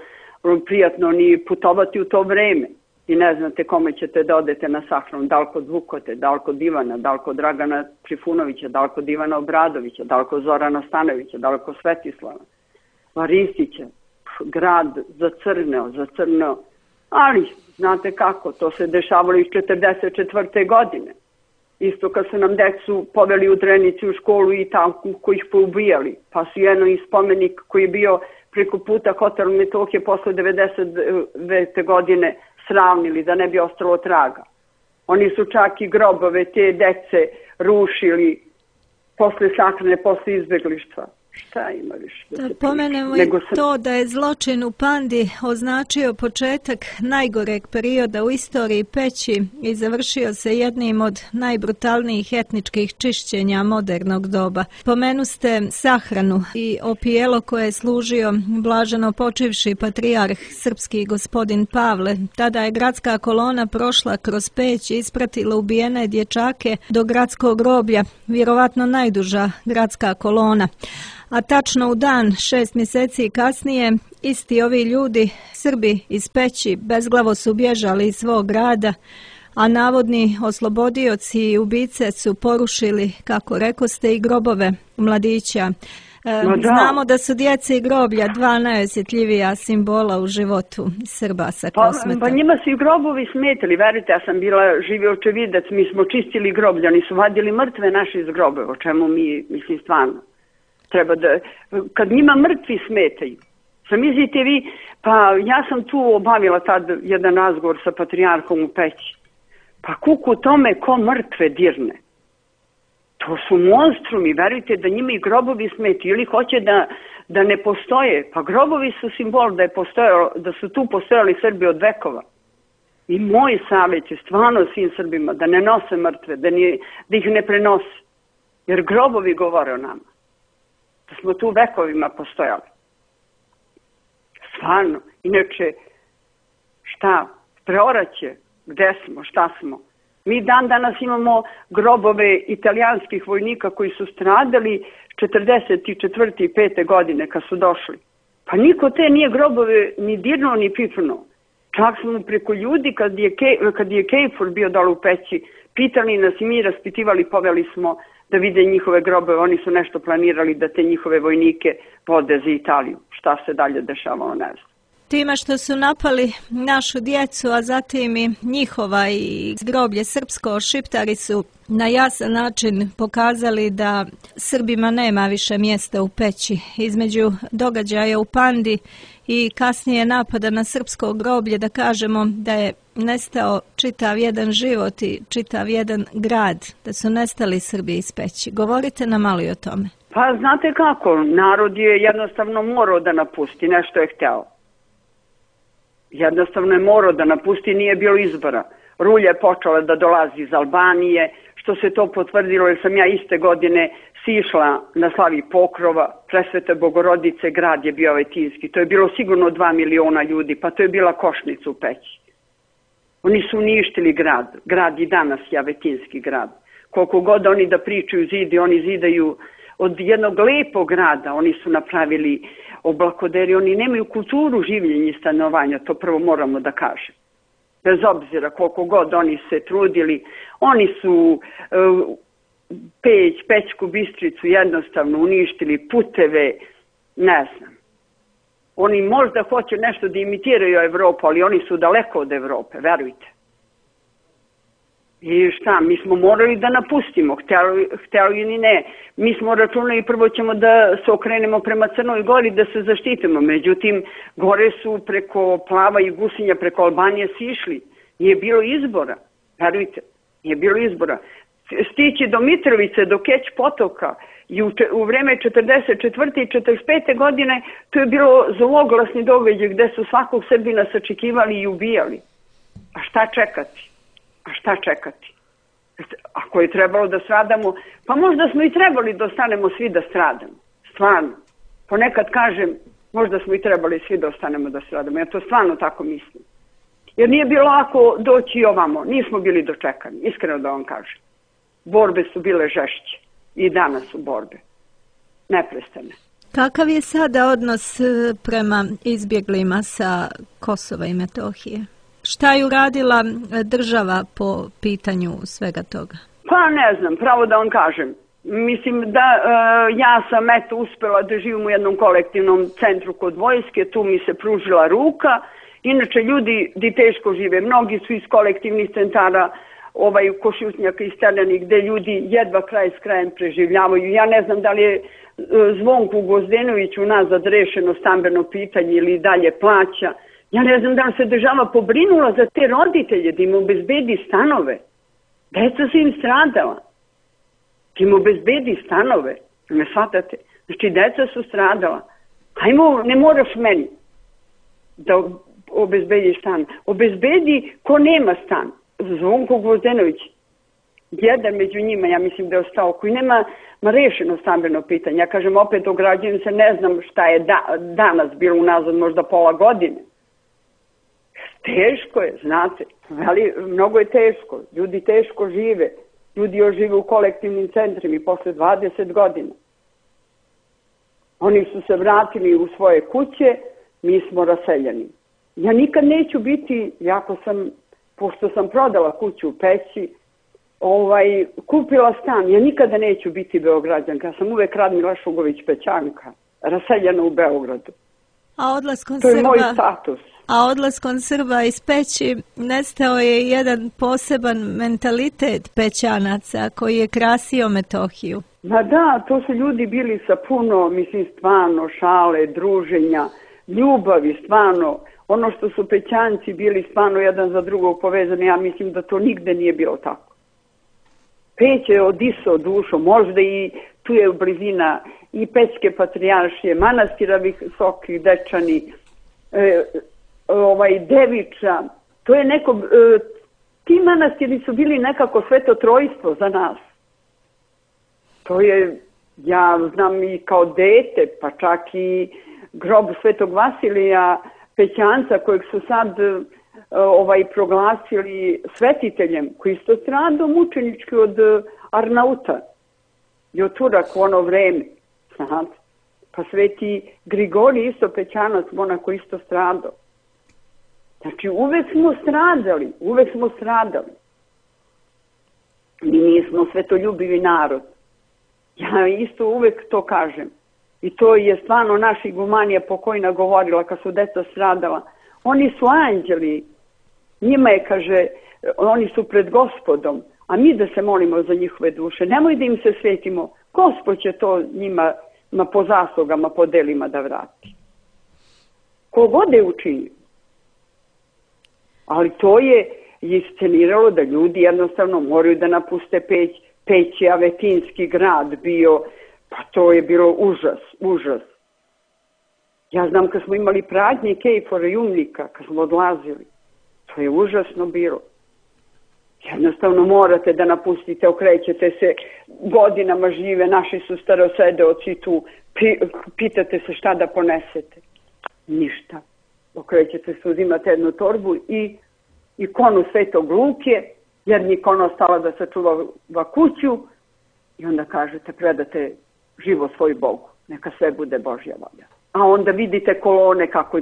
prijatno ni putovati u to vreme. I ne znate kome ćete da odete na sahranu, da li kod Vukote, da li kod Ivana, da li kod Dragana Trifunovića, da li kod Ivana Obradovića, da li kod Zorana Stanovića, da li kod Svetislava. Ristića, grad zacrneo, zacrneo, ali znate kako, to se dešavalo iz četrdeset četvrte godine. Isto kad su nam decu poveli u Drenici u školu i tamo koji ih poubijali, pa su jedno i spomenik koji je bio preko puta Hotel Metohije posle devedeset devete godine sravnili da ne bi ostalo traga. Oni su čak i grobove te dece rušili posle sahrane, posle izbeglištva. Šta ima više da, da se pomenemo i sam... to da je zločin u Pandi označio početak najgoreg perioda u istoriji Peći i završio se jednim od najbrutalnijih etničkih čišćenja modernog doba. Pomenu ste sahranu i opijelo koje je služio blaženo počivši patrijarh srpski gospodin Pavle. Tada je gradska kolona prošla kroz Peć i ispratila ubijene dječake do gradskog groblja, vjerovatno najduža gradska kolona. A tačno u dan, šest mjeseci kasnije, isti ovi ljudi, Srbi iz Peći, bezglavo su bježali iz svog grada, a navodni oslobodioci i ubice su porušili, kako rekoste, i grobove mladića. E, no, da. Znamo da su djece i groblja dva najosjetljivija simbola u životu Srba sa Kosmeta. Pa, pa njima su i grobovi smetali, verite, ja sam bila živi očevidac, mi smo čistili groblja, oni su vadili mrtve naše iz grobe, o čemu mi, mislim, stvarno. Treba da, kad njima mrtvi smetaju. Zamislite vi, pa ja sam tu obavila tad jedan razgovor sa patrijarhom u Peći. Pa kuku tome ko mrtve dirne. To su monstrumi, verujte da njima i grobovi smetaju ili hoće da, da ne postoje. Pa grobovi su simbol da, je postojalo, da su tu postojali Srbi od vekova. I moj savjet je stvarno svim Srbima da ne nose mrtve, da, nije, da ih ne prenose. Jer grobovi govore o nama. Da smo tu vekovima postojali. Stvarno. Inače, šta? Preoraće. Gde smo? Šta smo? Mi dan danas imamo grobove italijanskih vojnika koji su stradali četrdeset četvrte i pete godine kad su došli. Pa niko te nije grobove ni dirnuo ni pipnuo. Čak smo preko ljudi kad je, kad je Kejfur bio dole u Peći, pitali nas i mi raspitivali, poveli smo da vide njihove grobove. Oni su nešto planirali da te njihove vojnike vode za Italiju. Šta se dalje dešavalo, ne znam. Time što su napali našu djecu, a zatim i njihova i groblje srpsko, Šiptari su na jasan način pokazali da Srbima nema više mjesta u Peći. Između događaja u Pandi i kasnije napada na srpsko groblje, da kažemo da je nestao čitav jedan život i čitav jedan grad, da su nestali Srbi iz Peći. Govorite nam malo i o tome. Pa znate kako, narod je jednostavno morao da napusti, nešto je hteo. Jednostavno je morao da napusti, nije bilo izbora. Rulja je počela da dolazi iz Albanije, što se to potvrdilo jer sam ja iste godine sišla na slavi Pokrova, Presvete Bogorodice, grad je bio Vetinski. To je bilo sigurno dva miliona ljudi, pa to je bila Košnica u Peći. Oni su uništili grad, grad i danas je Vetinski grad. Koliko god oni da pričaju zidi, oni zidaju od jednog lepog grada, oni su napravili oblakoderi, oni nemaju kulturu življenja i stanovanja, to prvo moramo da kažem. Bez obzira koliko god oni se trudili, oni su uh, Peć, Pećku Bistricu jednostavno uništili, puteve, ne znam. Oni možda hoće nešto da imitiraju Evropu, ali oni su daleko od Evrope, verujte. I šta, mi smo morali da napustimo, htjeli, htjeli ili ne. Mi smo računali prvo ćemo da se okrenemo prema Crnoj Gori, da se zaštitimo. Međutim, gore su preko Plava i Gusinja, preko Albanije sišli. Nije bilo izbora, verujte, nije bilo izbora. Stići do Mitrovice, do Keć potoka i u, u vreme četrdeset četvrte i četrdeset pete godine to je bilo zloglasni događaj gde su svakog Srbina sačekivali i ubijali. A šta čekati? A šta čekati? Ako je trebalo da stradamo, pa možda smo i trebali da ostanemo svi da stradamo. Stvarno. Ponekad kažem, možda smo i trebali svi da ostanemo da stradamo. Ja to stvarno tako mislim. Jer nije bilo lako doći ovamo. Nismo bili dočekani, iskreno da vam kažem. Borbe su bile žešće. I danas su borbe. Neprestane. Kakav je sada odnos prema izbjeglima sa Kosova i Metohije? Šta je uradila država po pitanju svega toga? Pa ne znam, pravo da vam kažem. Mislim da e, ja sam eto uspela da živim u jednom kolektivnom centru kod vojske, tu mi se pružila ruka. Inače ljudi di teško žive, mnogi su iz kolektivnih centara ovaj Košutnjaka i Steljani gde ljudi jedva kraj s krajem preživljavaju. Ja ne znam da li je Zvonku Gozdenoviću nazad rešeno stambeno pitanje ili dalje plaća. Ja ne znam da li se država pobrinula za te roditelje, da im obezbedi stanove. Deca su im stradala. Da im obezbedi stanove. Ne shvatate? Znači, deca su stradala. Hajmo, ne moraš meni da obezbedi stan. Obezbedi ko nema stan. Zvonko Gvozdenović, jedan među njima, ja mislim da je ostao, koji nema ma rešeno stambeno pitanje. Ja kažem, opet ograđujem se, ne znam šta je da, danas bilo unazad, možda pola godine. Teško je, znate, ali mnogo je teško. Ljudi teško žive. Ljudi još žive u kolektivnim centrima i posle dvadeset godina. Oni su se vratili u svoje kuće, mi smo raseljeni. Ja nikad neću biti, jako sam, pošto sam prodala kuću u Peći, ovaj, kupila stan, ja nikada neću biti Beograđanka, ja sam uvek Radmila Šugović Pećanka, raseljena u Beogradu. A odlaskom to je Srba, moj status. A odlaskom Srba iz Peći nestao je jedan poseban mentalitet Pećanaca koji je krasio Metohiju. Ma da, to su ljudi bili sa puno, mislim, stvarno šale, druženja, ljubavi, stvarno. Ono što su Pećanci bili stvarno jedan za drugog povezani, ja mislim da to nigde nije bilo tako. Peć je odisao dušom, možda i tu je blizina i Pećke patrijaršije, manastira Visoki Dečani, e, ovaj, Deviča. To je neko, e, ti manastiri su bili nekako sveto trojstvo za nas. To je, ja znam i kao dete, pa čak i grob Svetog Vasilija Pećanca, kojeg su sad ovaj, proglasili svetiteljem, koji isto stradao mučenički od Arnauta i od Turaka u ono vreme. Znate? Pa sveti Grigorij isto Pećanac, monako isto stradao. Znači uvek smo stradali, uvek smo stradali. Mi nismo svetoljubivi narod. Ja isto uvek to kažem. I to je stvarno naša igumanija pokojna govorila kad su deca stradala. Oni su anđeli. Njima je, kaže, oni su pred Gospodom. A mi da se molimo za njihove duše. Nemoj da im se svetimo. Gospod će to njima ma po zaslugama, po delima da vrati. Kogod je učinio. Ali to je isceniralo da ljudi jednostavno moraju da napuste Peć. Peć je avetinski grad bio, pa to je bilo užas, užas. Ja znam kad smo imali pradnike i forejumnika, kad smo odlazili, to je užasno bilo. Jednostavno morate da napustite, okrećete se, godinama žive, naši su starosedeoci tu, pitate se šta da ponesete. Ništa. Okrećete se, uzimate jednu torbu i ikonu Svetog Luke, jer nikon ostala da sačuva kuću i onda kažete, predate živo svoj Bogu, neka sve bude Božja volja. A onda vidite kolone kako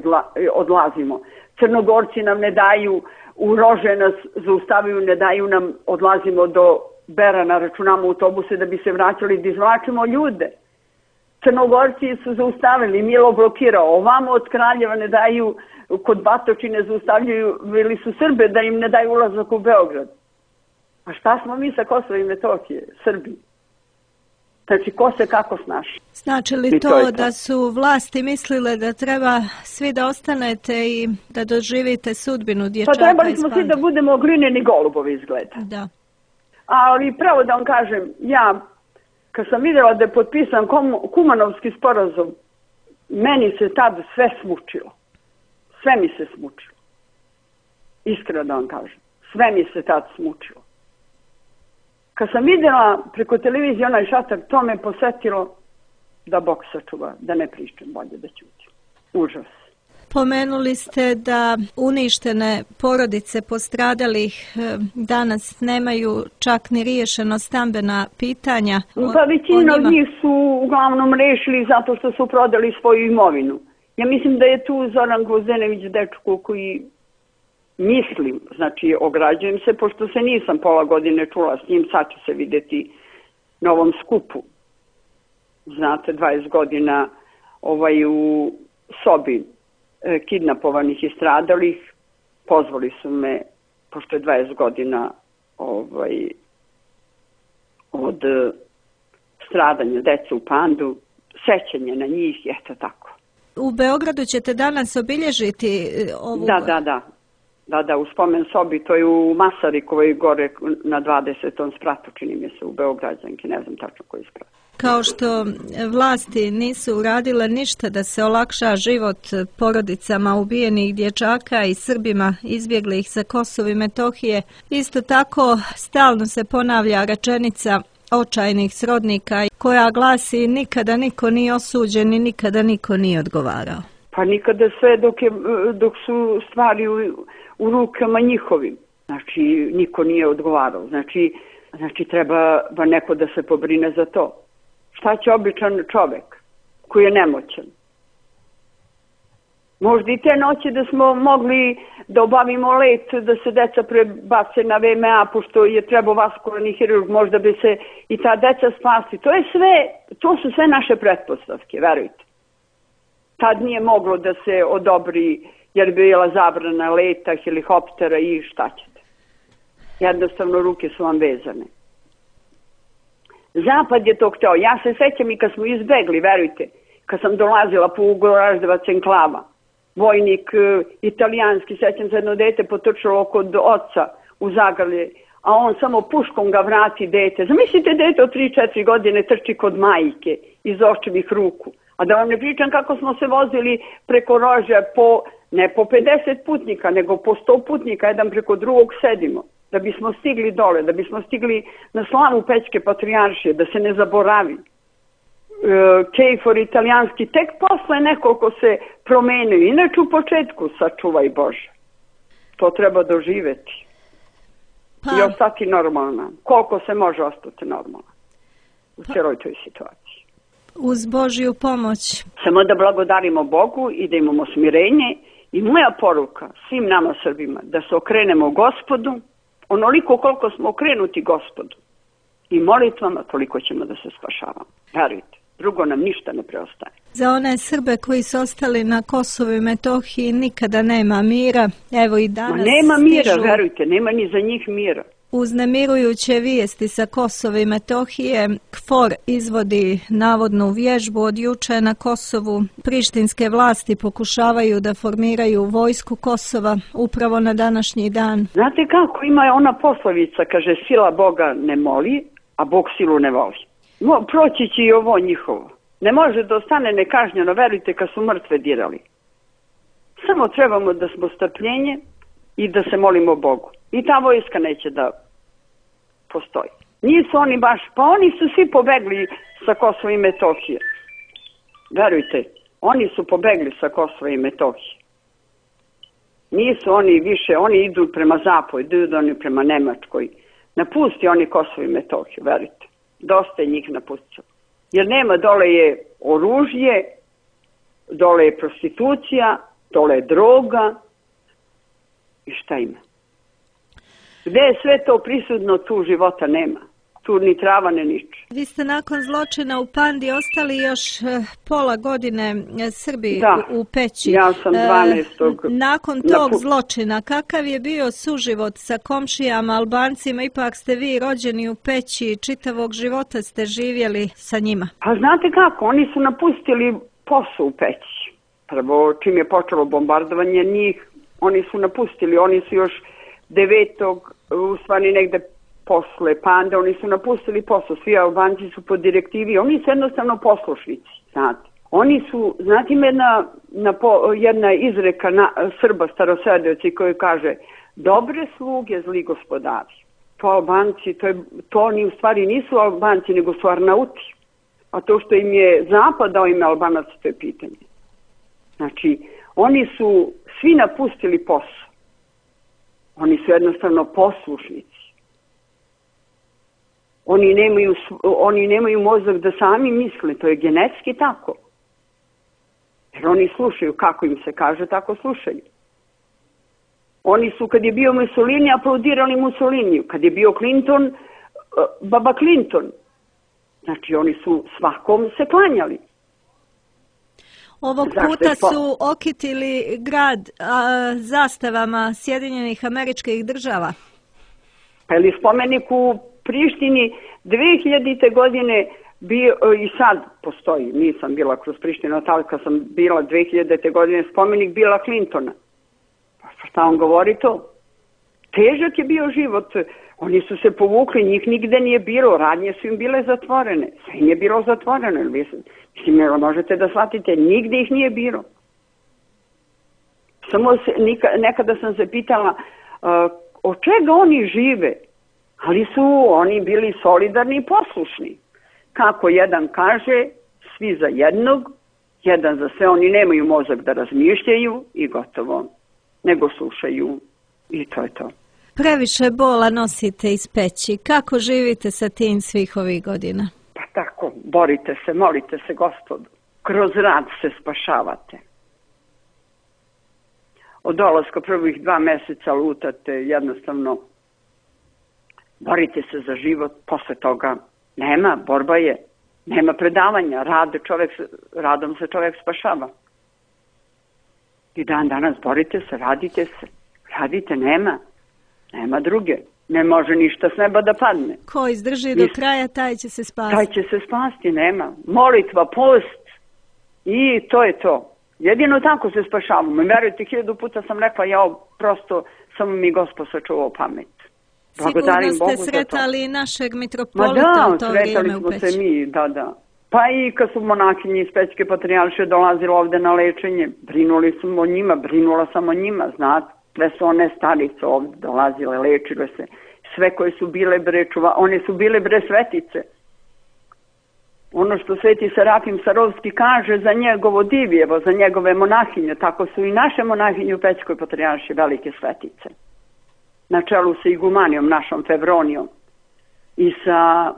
odlazimo. Crnogorci nam ne daju, u Rože nas zaustavaju, ne daju nam, odlazimo do Berana, računamo autobuse da bi se vraćali, da izvlačimo ljude. Crnogorci su zaustavili, Milo blokirao, ovamo od Kraljeva ne daju, kod Batočine zaustavljaju, bili su Srbe da im ne daju ulazak u Beograd. A šta smo mi sa Kosova i Metohije, Srbi? Znači, ko se kako snaši? Znači li to, to da su vlasti mislile da treba svi da ostanete i da doživite sudbinu dječaka? Pa trebali smo svi da budemo glineni golubovi izgleda. Da. Ali pravo da vam kažem, ja kad sam vidjela da je potpisan Kumanovski sporazum, meni se tad sve smučilo. Sve mi se smučilo. Iskreno da vam kažem. Sve mi se tad smučilo. Kad sam vidjela preko televizije onaj šatak, to me posetilo da Bog sačuva, da ne pričam, bolje da ćutim. Užas. Pomenuli ste da uništene porodice postradalih danas nemaju čak ni riješeno stambena pitanja. Pa većina od njih su uglavnom rešili zato što su prodali svoju imovinu. Ja mislim da je tu Zoran Gvozdenović dečko koji... Mislim, znači ograđujem se, pošto se nisam pola godine čula s njim, sad će se vidjeti na ovom skupu. Znate, dvadeset godina ovaj, u sobi e, kidnapovanih i stradalih, pozvali su me, pošto je dvadeset godina ovaj, od stradanja dece u Pandu, sećanje na njih, eto tako. U Beogradu ćete danas obilježiti ovu... Da, da, da. Da, da, u spomen sobi, to je u Masarikovoj gore na dvadesetom spratu, čini mi se, u Beograđanki, ne znam tačno koji sprat. Kao što vlasti nisu uradile ništa da se olakša život porodicama ubijenih dječaka i Srbima izbjeglih sa Kosova i Metohije, isto tako stalno se ponavlja rečenica očajnih srodnika koja glasi nikada niko nije osuđen i nikada niko nije odgovarao. Pa nikada sve dok, je, dok su stvari u, u rukama njihovim. Znači, niko nije odgovarao. Znači, znači treba neko da se pobrine za to. Šta će običan čovek koji je nemoćan? Možda i te noći da smo mogli da obavimo let, da se deca prebace na V M A, pošto je trebao vaskularni hirurg, možda bi se i ta deca spasti. To je sve, to su sve naše pretpostavke, verujte. Tad nije moglo da se odobri, jer bi bila zabrana leta, helikoptera i šta ćete. Jednostavno ruke su vam vezane. Zapad je to hteo. Ja se sećam i kad smo izbegli, verujte, kad sam dolazila po Ugoraždevac enklava, vojnik italijanski, sećam se jedno dete potrčalo kod oca u zagrlje, a on samo puškom ga vrati dete. Zamislite, dete od tri četiri godine trči kod majke iz očevih ruku. A da vam ne pričam kako smo se vozili preko Rože po, ne po pedeset putnika, nego po sto putnika, jedan preko drugog sedimo, da bismo stigli dole, da bismo stigli na slavu Pećke patrijaršije, da se ne zaboravi. E, Kejfor italijanski tek posle nekoliko se promenio, inače u početku sačuvaj Bože. To treba doživeti. Pa. I ostati normalna. Koliko se može ostati normalna u pa. Cijeloj toj situaciji. Uz Božju pomoć. Samo da blagodarimo Bogu i da imamo smirenje. I moja poruka svim nama Srbima da se okrenemo Gospodu, onoliko koliko smo okrenuti Gospodu i molitvama, toliko ćemo da se spašavamo. Verujte, drugo nam ništa ne preostaje. Za one Srbe koji su ostali na Kosovu i Metohiji nikada nema mira. Evo i danas Ma nema mira, stižu... verujte, nema ni za njih mira. Uznemirujuće vijesti sa Kosova i Metohije. KFOR izvodi navodnu vježbu od juče na Kosovu. Prištinske vlasti pokušavaju da formiraju vojsku Kosova upravo na današnji dan. Znate kako, ima ona poslovica, kaže sila Boga ne moli, a Bog silu ne voli. No, proći će i ovo njihovo. Ne može da ostane nekažnjeno, verujte, kad su mrtve dirali. Samo trebamo da smo strpljenje i da se molimo Bogu. I ta vojska neće da postoji. Nisu oni baš, pa oni su svi pobegli sa Kosova i Metohije. Verujte, oni su pobegli sa Kosova i Metohije. Nisu oni više, oni idu prema zapadu, idu oni prema Nemačkoj. Napusti oni Kosovo i Metohiju, verujte. Dosta je njih napustilo. Jer nema, dole je oružje, dole je prostitucija, dole je droga i šta ima? Gde je sve to prisutno, tu života nema. Tu ni trava ne niče. Vi ste nakon zločina u Pandi ostali još pola godine Srbi da, u Peći. Ja sam dvanaestog Nakon tog napu... zločina, kakav je bio suživot sa komšijama, Albancima? Ipak ste vi rođeni u Peći, čitavog života ste živjeli sa njima. Pa znate kako, oni su napustili posao u Peći. Prvo, čim je počelo bombardovanje njih, oni su napustili, oni su još devetog u stvari negde posle Pande, oni su napustili posao, svi Albanci su po direktivi, oni su jednostavno poslušnici, znate. Oni su, znate ima jedna, na po, jedna izreka na, Srba starosvedoci koji kaže dobre sluge, zli gospodari. To Albanci, to, je, to oni u stvari nisu Albanci, nego su Arnauti. A to što im je Zapad dao ime Albanac, to je pitanje. Znači, oni su svi napustili posao. Oni su jednostavno poslušnici. Oni nemaju, oni nemaju mozak da sami misle, to je genetski tako. Jer oni slušaju, kako im se kaže, tako slušaju. Oni su, kad je bio Mussolini, aplaudirali Mussoliniju. Kad je bio Clinton, baba Clinton. Znači, oni su svakom se klanjali. Ovog puta su okitili grad a, zastavama Sjedinjenih Američkih Država. Pa je spomenik u Prištini dve hiljadite godine bio, i sad postoji, nisam bila kroz Prištinu, ali kad sam bila dve hiljadite godine spomenik Bila Clintona. Pa šta on govori to? Težak je bio život Oni su se povukli, njih nigde nije bilo, radnje su im bile zatvorene, sve im je bilo zatvoreno. Mislim, možete da shvatite, nigde ih nije bilo. Samo se, nekada sam se pitala uh, od čega oni žive, ali su oni bili solidarni i poslušni. Kako jedan kaže, svi za jednog, jedan za sve, oni nemaju mozak da razmišljaju i gotovo, nego slušaju i to je to. Previše bola nosite iz peći. Kako živite sa tim svih ovih godina? Pa tako, borite se, molite se Gospodu. Kroz rad se spašavate. Od dolaska prvih dva meseca lutate, jednostavno borite se za život, posle toga nema, borba je, nema predavanja, rad, čovjek, radom se čovjek spašava. I dan danas borite se, radite se, radite, nema, nema druge, ne može ništa s neba da padne. Ko izdrži do kraja, taj će se spasti. Taj će se spasti, nema. Molitva, post i to je to. Jedino tako se spašavamo. Verujte, hiljadu puta sam rekla, ja prosto samo mi Gospod sačuvao pamet. Sigurno ste sretali našeg mitropolita u to vrijeme u Peći. Ma da, sretali smo se mi, da, da. Pa i kad su monahinji iz Pećke patrijaršije dolazili ovde na lečenje, brinuli smo o njima, brinula sam o njima, znate. Sve su one starice ovde dolazile, lečile se. Sve koje su bile bre čuva, one su bile bre svetice. Ono što sveti Serafim Sarovski kaže za njegovo divjevo, za njegove monahinje, tako su i naše monahinje u Pećkoj patrijaršiji velike svetice. Na čelu sa igumanijom našom Fevronijom i sa,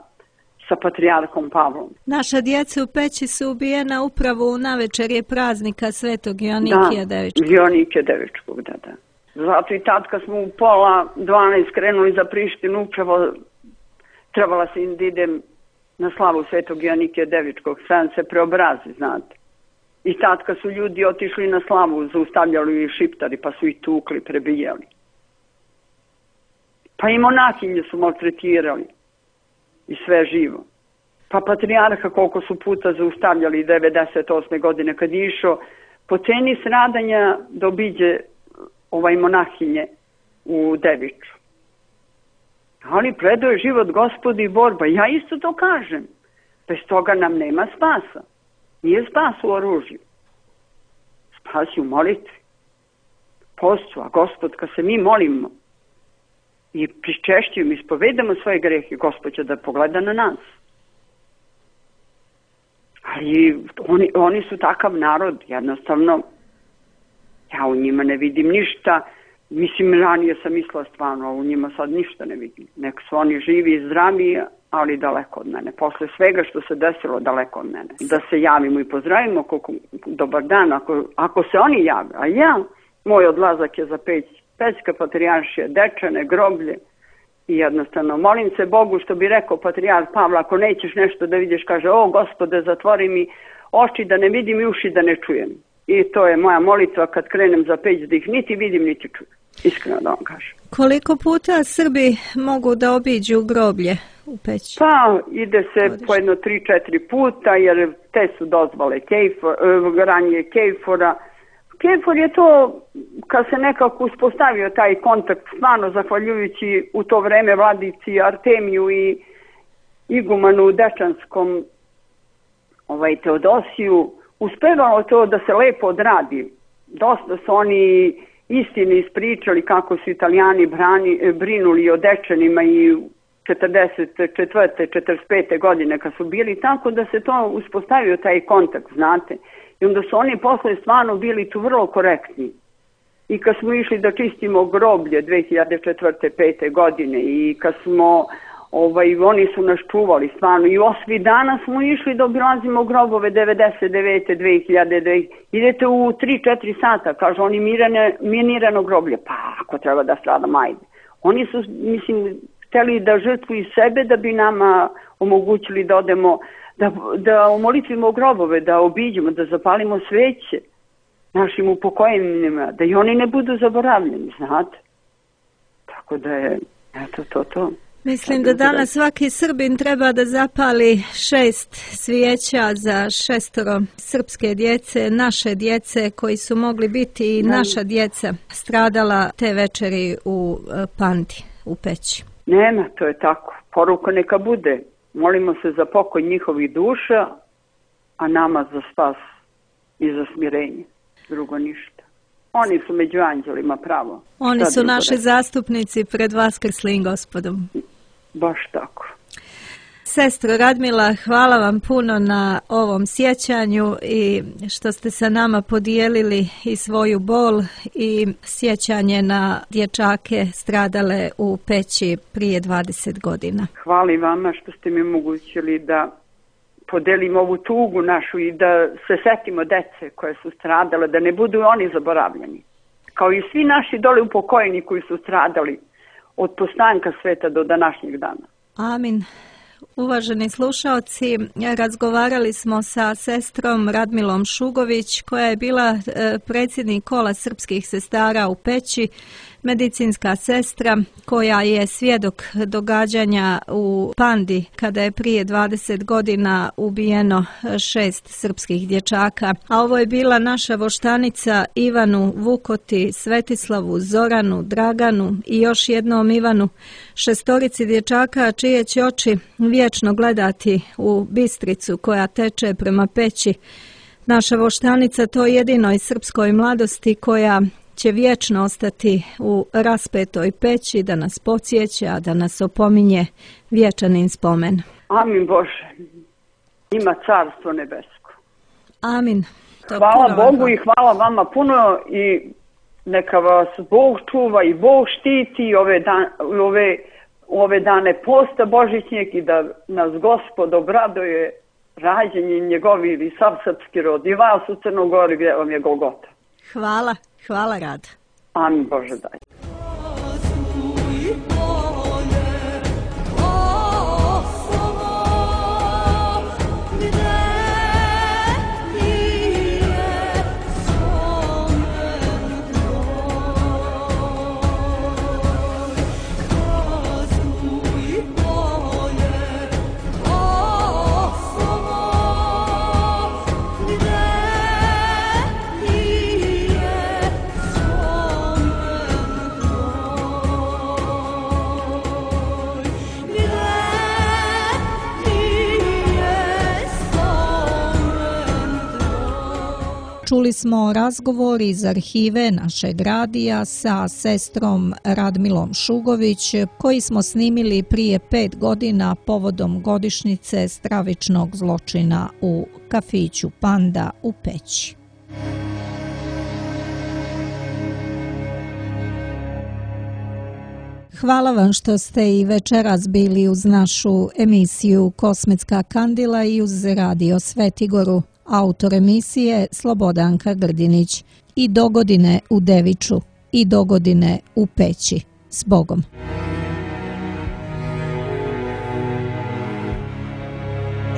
sa patrijarhom Pavlom. Naša djeca u Peći su ubijena upravo u navečerje praznika Svetog Joanikija Devičkog. Da, Joanikija Devičkog, da, da. Zato i tad kad smo u pola dvanaest krenuli za Prištinu, upravo trebala se da idem na slavu Svetog Joanikija Devičkog, sve se preobrazi, znate. I tad kad su ljudi otišli na slavu, zaustavljali i šiptari, pa su ih tukli, prebijali. Pa i monahinje su maltretirali i sve živo. Pa patrijarha koliko su puta zaustavljali devedeset osme godine kad je išao po ceni stradanja da obiđe ovaj monahinje u Deviču. Ali predao je život Gospodu i borba. Ja isto to kažem. Bez toga nam nema spasa. Nije spas u oružju. Spas je u molitvi. Postu, a Gospod, kad se mi molimo i pričešćujemo, ispovedamo svoje grehe, Gospod će da pogleda na nas. Ali oni, oni su takav narod, jednostavno, ja u njima ne vidim ništa. Mislim, ranije sam mislila stvarno, a u njima sad ništa ne vidim. Nek su oni živi i zdravi, ali daleko od mene. Posle svega što se desilo, daleko od mene. Da se javimo i pozdravimo, koliko, dobar dan, ako, ako se oni jave. A ja, moj odlazak je za Peć, Pećka patrijaršija, Dečane, groblje. I jednostavno, molim se Bogu, što bi rekao patrijarh Pavla, ako nećeš nešto da vidiš, kaže, o Gospode, zatvori mi oči da ne vidim i uši da ne čujem. I to je moja molitva kad krenem za Peć, da ih niti vidim, niti čujem. Iskreno da vam kažem. Koliko puta Srbi mogu da obiđu groblje u Peći? Pa, ide se Godiš. po jedno tri četiri puta, jer te su dozvole Kejfor, ranije Kejfora. Kejfor je to, kad se nekako uspostavio taj kontakt, stvarno zahvaljujući u to vreme vladici Artemiju i igumanu Dečanskom ovaj, Teodosiju, uspevalo to da se lepo odradi. Dosta su oni istini ispričali kako su Italijani brani, brinuli o Dečanima i četrdeset četvrte četrdeset pete godine kad su bili, tako da se to uspostavio taj kontakt, znate. I onda su oni posle stvarno bili tu vrlo korektni. I kad smo išli da čistimo groblje dve hiljade četvrte pete godine i kad smo, ovaj, oni su nas čuvali stvarno. I osmi dana smo išli da obilazimo grobove devedeset devete dve hiljade. Idete u tri četiri sata, kažu oni mirane, minirano groblje. Pa ako treba da stradam, ajde. Oni su, mislim, hteli da žrtvuju sebe da bi nama omogućili da odemo, da, da omolitvimo grobove, da obiđemo, da zapalimo sveće našim upokojenima, da i oni ne budu zaboravljeni, znate. Tako da je, eto to, to. Mislim da danas svaki Srbin treba da zapali šest svijeća za šestoro srpske djece, naše djece koji su mogli biti i naša djeca stradala te večeri u Pandi, u Peći. Nema, to je tako. Poruka neka bude. Molimo se za pokoj njihovih duša, a nama za spas i za smirenje. Drugo ništa. Oni su među anđelima, pravo. Oni Šta su drugo naši reći? zastupnici pred Vaskrslim Gospodom. Baš tako. Sestro Radmila, hvala vam puno na ovom sjećanju i što ste sa nama podijelili i svoju bol i sjećanje na dječake stradale u Peći prije dvadeset godina. Hvala i vama što ste mi omogućili da podelim ovu tugu našu i da se setimo dece koje su stradale, da ne budu oni zaboravljeni. Kao i svi naši dole upokojeni koji su stradali od postanka sveta do današnjeg dana. Amin. Uvaženi slušaoci, razgovarali smo sa sestrom Radmilom Šugović, koja je bila predsjednik kola srpskih sestara u Peći, medicinska sestra koja je svjedok događanja u Pandi kada je prije dvadeset godina ubijeno šest srpskih dječaka. A ovo je bila naša voštanica Ivanu Vukoti, Svetislavu, Zoranu, Draganu i još jednom Ivanu, šestorici dječaka čije će oči vječno gledati u Bistricu koja teče prema Peći. Naša voštanica to jedinoj srpskoj mladosti koja će vječno ostati u raspetoj Peći da nas podsjeća, da nas opominje vječanin spomen. Amin Bože, ima carstvo nebesko. Amin. To hvala Bogu vam. I hvala vama puno i neka vas Bog čuva i Bog štiti ove, dan, ove, ove dane posta božićnjeg i da nas Gospod obraduje rađenjem njegovih i sav srpski rod i vas u Crnogori gdje vam je Golgota. Hvala, hvala Rad. Amin Bože daj. Čuli smo razgovor iz arhive našeg radija sa sestrom Radmilom Šugović koji smo snimili prije pet godina povodom godišnjice stravičnog zločina u kafiću Panda u Peći. Hvala vam što ste i večeras bili uz našu emisiju Kosmetska kandila i uz Radio Svetigoru. Autor emisije Slobodanka Grdinić. I dogodine u Deviču i dogodine u Peći. S Bogom.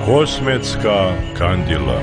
Kosmetska kandila.